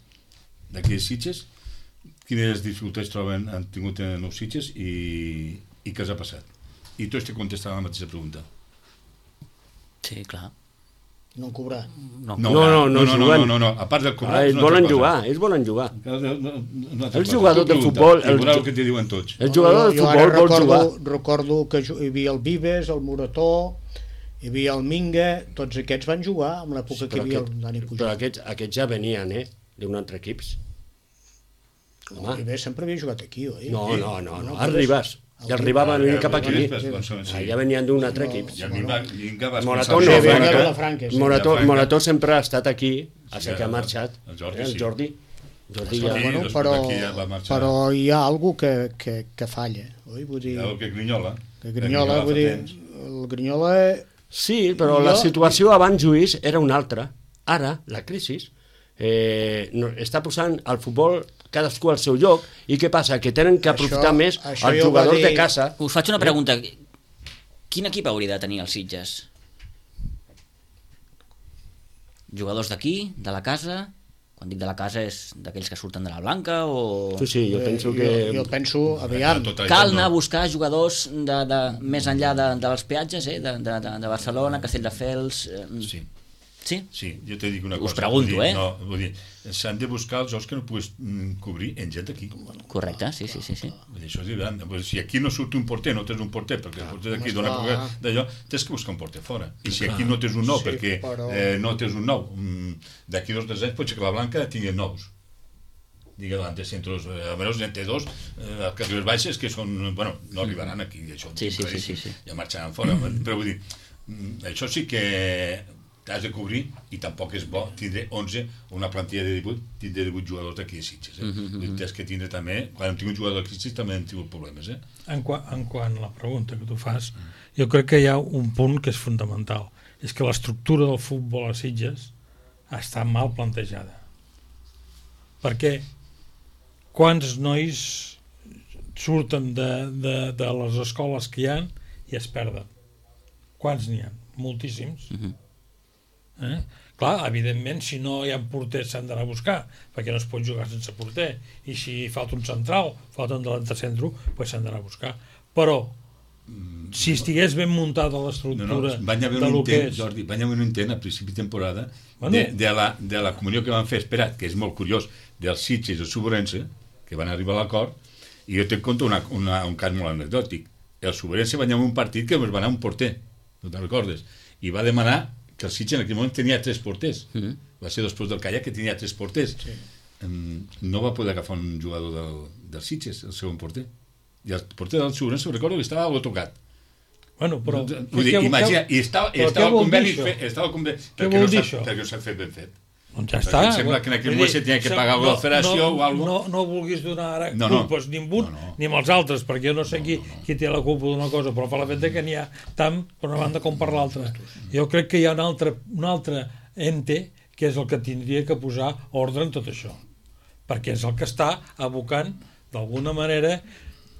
d'aquells Sitges, quines dificultats troben, han tingut en els Sitges i, i què els ha passat. I tots te contestaran la mateixa pregunta. Sí, clar. No cobrar. No, No, no, no no, no, juguen. no, no, a part del cobrar... Ah, és ells una altra volen cosa. jugar, ells volen jugar. No, no, no, no, Els jugadors de futbol, I els veurà ju- el que te diuen tots. El jugador de jo, jo futbol ara vol recordo, jugar. recordo que ju- hi havia el Vives, el Morató, hi havia el Minga, tots aquests van jugar en l'època que hi havia aquest, el Dani però Pujol. aquests, aquests ja venien, eh? D'un altre equip. El Vives sempre havia jugat aquí, oi? No, no, no, no. No, Els Ribas. I els Ribas van venir cap aquí. Sí. Ah, ja venien d'un altre equip. I a mi va, vinga, vas Morató pensar- no, Sí, venga, Morató, Vilafranca, sí. Morató, Vilafranca. Morató sempre ha estat aquí, a Sí, ser que ha el- marxat. el Jordi, Eh, sí. El Jordi. Jordi Sí, ja... Bueno, després però, d'aquí ja va marxar. però hi ha alguna que, que, que falla, oi? Vull dir, El que Grinyola. que Grinyola, vull fa dir, temps. el Grinyola... Sí, però Jo- la situació abans, Lluís, era una altra. Ara, la crisi, eh, no, està posant al futbol cadascú al seu lloc, i què passa? Que tenen que aprofitar Això- més això els ja ho va jugadors dir- de casa. Us faig una pregunta. Quin equip hauria de tenir els Sitges? Jugadors d'aquí, de la casa? Quan dic de la casa és d'aquells que surten de la Blanca o... Sí, sí, jo penso eh, que... Jo, jo penso, aviam, Tota la Cal gent anar a no. buscar jugadors de, de, més enllà de, dels peatges, eh? de, de, de Barcelona, Castelldefels... Eh, Sí. sí? Sí, jo te dic una Us cosa. pregunto, vull dir, eh? No, vull dir, s'han de buscar els jocs que no puguis mm, cobrir en gent d'aquí. Correcte, sí, sí, sí, sí. Vull dir, això és diferent. Vull dir, si aquí no surt un porter, no tens un porter, perquè el porter d'aquí dona esclar. poca d'allò, tens que buscar un porter fora. I si aquí no tens un nou, Sí, perquè però- eh, no tens un nou, mm, d'aquí dos o tres anys pot ser que la Blanca tingui nous. Digue l'antes centros, eh, almenys entre dos, eh, les categories baixes que són, bueno, no arribaran aquí, això Sí, sí, sí, sí, sí. ja marxaran fora, però vull dir, mm, això sí que t'has de cobrir i tampoc és bo tindre onze, una plantilla de divuit, tindre divuit jugadors d'aquí a Sitges. Eh? Mhm, mhm. Tens que tindre també, quan hem tingut jugadors d'aquí a Sitges també hem tingut problemes. Eh? En, qua, en quant a la pregunta que tu fas, jo crec que hi ha un punt que és fundamental. És que l'estructura del futbol a Sitges està mal plantejada. Perquè quants nois surten de, de, de les escoles que hi ha i es perden? Quants n'hi ha? Moltíssims. Mhm. Eh? Clar, evidentment, si no hi ha porters s'han d'anar a buscar, perquè no es pot jugar sense porter, i si falta un central, falta un delanter centre, pues s'han d'anar a buscar. Però, si estigués ben muntada No, no, l'estructura van haver de un lo que intent, és... Jordi, van haver un intent a principi de temporada Bueno. de, de, la, de la comunió que van fer, espera, que és molt curiós, dels Sitges i el Sobrense, que van arribar a l'acord, i jo te conto una, una, un cas molt anecdòtic. El Sobrense va guanyar un partit que es va anar un porter, no te'n recordes, i va demanar que el Sitges en aquell moment tenia tres porters. Mhm. Va ser després del Calla que tenia tres porters. Sí. No va poder agafar un jugador del, del Sitges, el segon porter. I el porter del Sobrense, recordo que estava autocat. Bueno, però... Vull dir, què- imagina, què- i estava, i però estava què el vol conveni dir això? fet, estava el conveni, Què perquè vol no dir s'ha això? perquè no s'ha fet ben fet. Doncs ja Perquè està. em sembla que en aquell Vull moment dir, se tenia que sem- pagar alguna federació no, o alguna no, no vulguis donar ara No, no. culpes ni amb un No, no. ni amb els altres, perquè jo no sé qui, qui té la culpa d'una cosa, però per la fet que n'hi ha tant per una banda com per l'altra. Jo crec que hi ha un altre, un altre ente que és el que tindria que posar ordre en tot això, perquè és el que està abocant d'alguna manera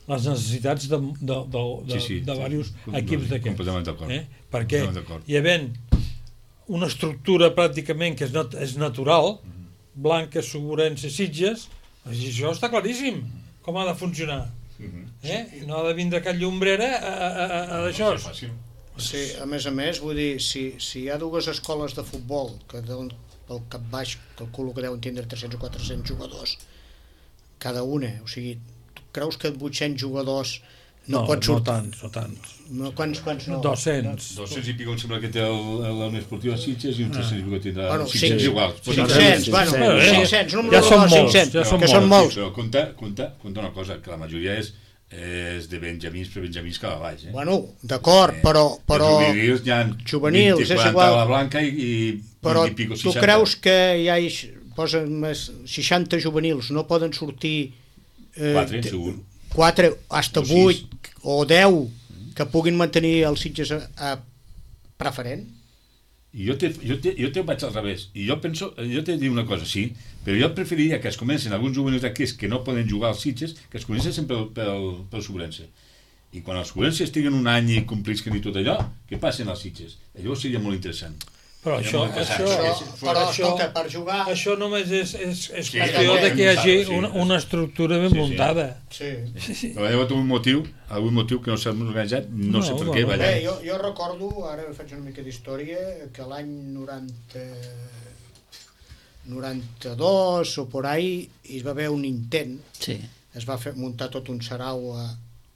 les necessitats de, de, de, de, Sí, sí, de sí. diversos Com- equips d'aquests. completament d'acord. Eh? Perquè Completament d'acord. hi havent una estructura pràcticament que és, nat és natural, Blanca, Sobrense, Sitges, això està claríssim, com ha de funcionar. Eh? No ha de vindre cap llombrera a, a, a, a d'això. No, no, Sí, a més a més, vull dir, si, si hi ha dues escoles de futbol que deuen, pel cap baix calculo que deuen tindre tres-cents o quatre-cents jugadors cada una, o sigui, tu creus que vuit-cents jugadors no, No, pot no sortir? tants, no tants. No, quants, quants no? dos-cents. dos-cents i pico em sembla que té el- el- la Unió Esportiva Sitges i uns tres-cents i pico tindrà Bueno, cinc-cents cinc- iguals. cinc-cents, bueno, Eh, cinc-cents, un ja número són de molts, cinc-cents, ja són que són molts. Però compta, compta, compta una cosa, que la majoria és, és de benjamins per benjamins cap a baix. Eh? Bueno, d'acord, però... però Els juvenils hi ha juvenils, vint, és quaranta igual. a la blanca i, i però vint i pico tu seixanta. creus que hi ha posen més seixanta juvenils, no poden sortir eh, Quatre, de- segur. quatre, hasta O vuit sis. o deu que puguin mantenir els Sitges a, a preferent? I jo te, jo, te, jo te vaig al revés. I jo penso, jo te dic una cosa, sí, però jo preferiria que es comencen alguns juvenils d'aquests que no poden jugar als Sitges, que es comencessin pel, pel, pel Sobrense. I quan els Sobrense estiguen un any i complisquen i tot allò, que passen als Sitges. Llavors seria molt interessant. Però Seria això, molt interessant. això, Això- Però, això, escolta, per jugar... això només és, és, és Sí, qüestió sí, de que hi hagi sí. una, una estructura ben Sí, sí. muntada. Sí. Però hi ha hagut un motiu, algun motiu que no s'ha organitzat, no, No, sé per bueno. què, va Bé, allà. jo, jo recordo, ara faig una mica d'història, que l'any noranta... noranta-dos o por ahí hi va haver un intent, Sí. es va fer, muntar tot un sarau a,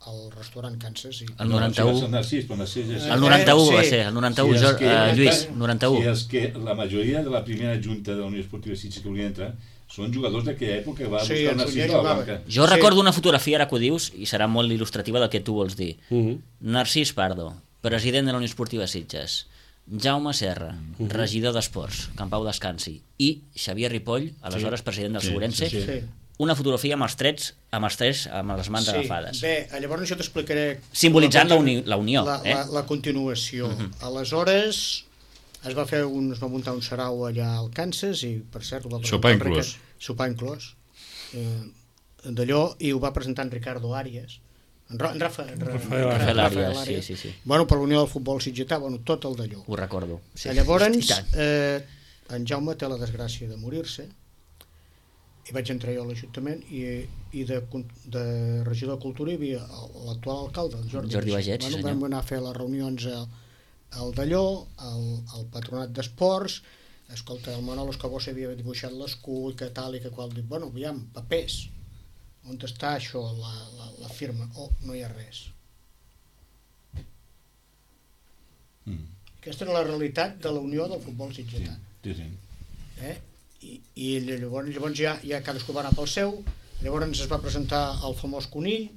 al restaurant Kansas i El No, noranta-u. si va ser el Narcís, però Narcís és... El noranta-u Sí. va ser, el noranta-u, és Jor- que- eh, Lluís, noranta-u. Si és que la majoria de la primera junta de la Unió Esportiva Sitges que volien entrar són jugadors d'aquella època que va Sí, buscar el el Narcís Sunyer de la jugava. Blanca. Jo Sí. recordo una fotografia, ara que ho dius, i serà molt il·lustrativa del que tu vols dir. Mhm. Narcís Pardo, president de la Unió Esportiva Sitges, Jaume Serra, regidor d'Esports, Can Pau Descansi, i Xavier Ripoll, aleshores president del Sí, Segurense, sí, sí. una fotografia amb els trets, amb els trets, amb les mans Sí, agafades. bé, llavors jo t'explicaré... Simbolitzant la, continu- uni la unió, la, eh? la, la continuació. Aleshores es va fer un, es va muntar un sarau allà al Kansas i, per cert, ho va Sopar presentar en inclòs. Ricard- Sopar inclòs. Eh, d'allò, i ho va presentar en Ricardo Arias. En, Ra en Rafa, en Ra Rafael en Rafael Rafael Arias, Arias. sí, sí, sí. Bueno, per l'Unió del Futbol Sitgetà, bueno, tot el d'allò. Ho recordo. Sí. Sí, llavors, I tant. eh, en Jaume té la desgràcia de morir-se i vaig entrar jo a l'Ajuntament i, i de, de regidor de Cultura hi havia l'actual alcalde, el Jordi, Jordi Bagets, bueno, senyor. vam anar a fer les reunions al, al Dalló, al, al Patronat d'Esports. Escolta, el Manolo Escobó s'havia dibuixat l'escut, que tal i que qual. Dic, bueno, aviam, papers, on està això, la, la, la firma? Oh, no hi ha res. Mm. Aquesta era la realitat de la Unió del Futbol Sí, Sitgetà. sí, sí. Eh? I, i llavors, llavors ja, ja cadascú va anar pel seu, llavors es va presentar el famós conill.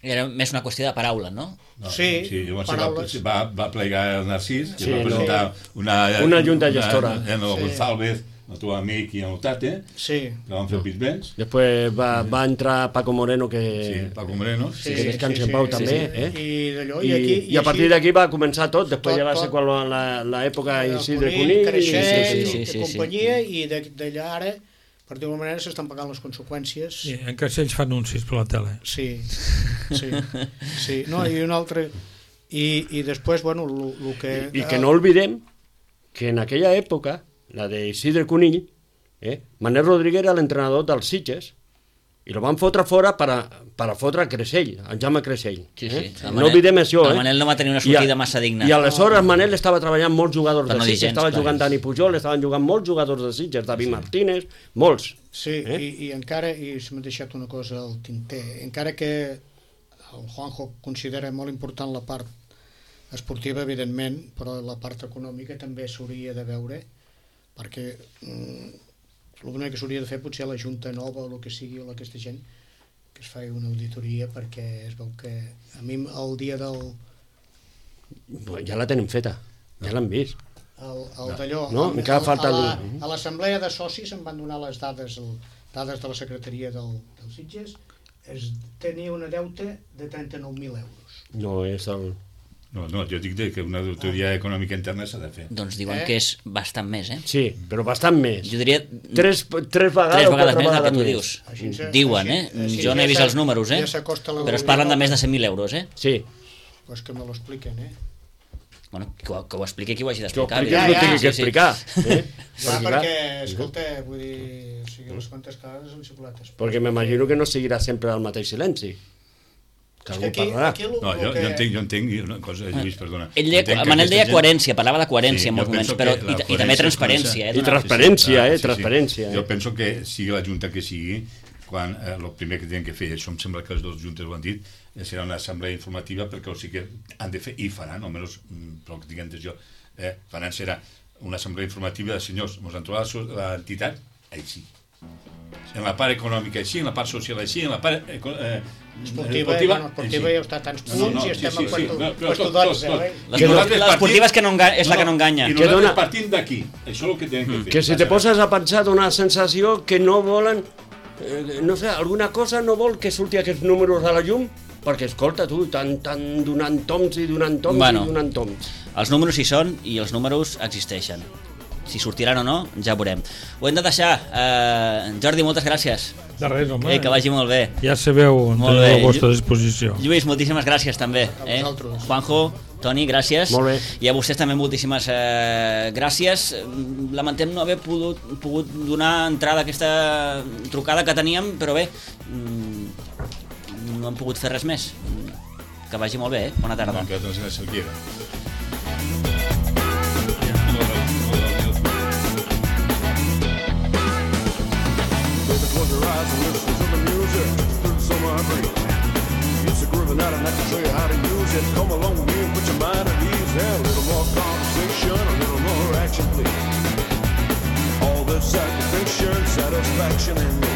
Era més una qüestió de paraula, no? No, Sí, sí llavors va, paraules. va, va plegar el Narcís i Sí, va no. presentar una, Una junta gestora. Una, en el Sí. González, el teu amic i el Tate, Sí, que van fer el Pit Bench. Després va, va entrar Paco Moreno, que, Sí, Paco Moreno. sí, que descansi en pau també, eh? I d'allò, i, I, aquí... i a partir d'aquí va començar tot, després Tot, ja va ser tot. quan la- l'època el Isidre Conill, Conill, Creixell, i, sí, i sí, sí, companyia, i de- d'allà ara, per dir-ho manera, s'estan pagant les conseqüències. Sí, en Castells fa anuncis per la tele. Sí, sí, sí. No, i un altre... I, i després, bueno, el que... i, i que no oblidem que en aquella època, la de Isidre Conill, eh, Manel Rodríguez era l'entrenador dels Sitges, i lo van fotre fora per a, per a fotre a Creixell, en Jaume Creixell. Sí, eh? sí. El No Manel- oblidem això, el eh? Manel no va tenir una I a- sortida massa digna. I aleshores Manel estava treballant molts jugadors Per de no dir Sitges, gens, estava clar. jugant Dani Pujol, estaven jugant molts jugadors de Sitges, David Martínez, molts. Sí, Eh? i, i encara, i se m'ha deixat una cosa al tinter, encara que el Juanjo considera molt important la part esportiva, evidentment, però la part econòmica també s'hauria de veure, perquè mm, l'únic que s'hauria de fer potser a la Junta Nova o el que sigui, o aquesta gent, que es faci una auditoria, perquè es veu que a mi el dia del... Ja la tenim feta, ja l'han vist. El, el d'allò, No, el- encara el- falta a la- el- a l'assemblea de socis em van donar les dades, el, dades de la secretaria del, del Sitges, es tenia una deute de trenta-nou mil euros. No és el... No, no, jo dic que una auditoria econòmica interna s'ha de fer. Doncs diuen Eh? que és bastant més, eh? Sí, però bastant més. Jo diria... Tres, tres vegades, Tres o vegades quatre més del que tu vegades dius. Així se- Diuen, eh? així- així Jo no he ja vist s'ha- els números, eh? ja s'acosta la Però es Unió parlen de Nova. més de cent mil euros, eh? Sí. Pues que me lo expliquen, eh? Bueno, que ho, que ho expliqui qui ho hagi Que ho d'explicar. expliqui Ja, el que ja, tingui que sí, sí. explicar. Eh? Clar, Perquè, perquè, clar, escolta, vull dir, o sigui, les comptes clares són xocolates. perquè m'imagino que no seguirà sempre el mateix silenci. que És algú que aquí, parlarà. aquí el, No, jo, el que... jo entenc, jo entenc una cosa, Lluís, perdona. Ell deia, Entenc que Manel aquesta deia gent- coherència, parlava de coherència en jo molts moments, penso però que i, la i també coherència és transparència. Eh, I donar- transparència, Ah, eh, transparència, eh. Jo penso que sigui la junta que sigui, quan eh, el primer que tenen que fer, això em sembla que les dues juntes ho han dit, eh, serà una assemblea informativa, perquè o sigui que han de fer, i faran, almenys mm, pel que tinc entès jo, eh, faran serà una assemblea informativa de senyors, ens han trobat l'entitat així. En la part econòmica així, en la part social així, en la part eh, eh, Esportiva, esportiva, bueno, esportiva així. ja està a tants punts No, no, i sí, estem sí, a sí, quarto, no, però quarto tot, d'onze, tot, tot. eh? Les Que esportives- nosaltres les esportives que no enga- és la que no enganya. I Que nosaltres dona- partim d'aquí. Això és el que tenen que fer. Que si te poses a pensar dona la sensació que no volen, eh, no sé, alguna cosa no vol que surti aquests números a la llum, perquè escolta tu, tan, tan donant toms i donant toms Bueno. i donant toms. Els números hi són i els números existeixen. Si sortiran o no, ja veurem. Ho hem de deixar. Uh, Jordi, moltes gràcies. De res, home. Eh, que vagi molt bé. Ja sabeu on Molt teniu bé. a la vostra disposició. Lluís, moltíssimes gràcies també. A Eh? vosaltres. Juanjo, Toni, gràcies. Molt bé. I a vostès també moltíssimes eh, gràcies. Lamentem no haver pogut, pogut donar entrada a aquesta trucada que teníem, però bé, mm, no hem pogut fer res més. Que vagi molt bé, eh? Bona tarda. No, que no se s'alquiera. Baby, close your eyes and listen to the music through the summer breeze. It's a groovy night and I can show you how to use it. Come along with me and put your mind at ease. Yeah, a little more conversation, a little more action, please. All this satisfaction, satisfaction in me.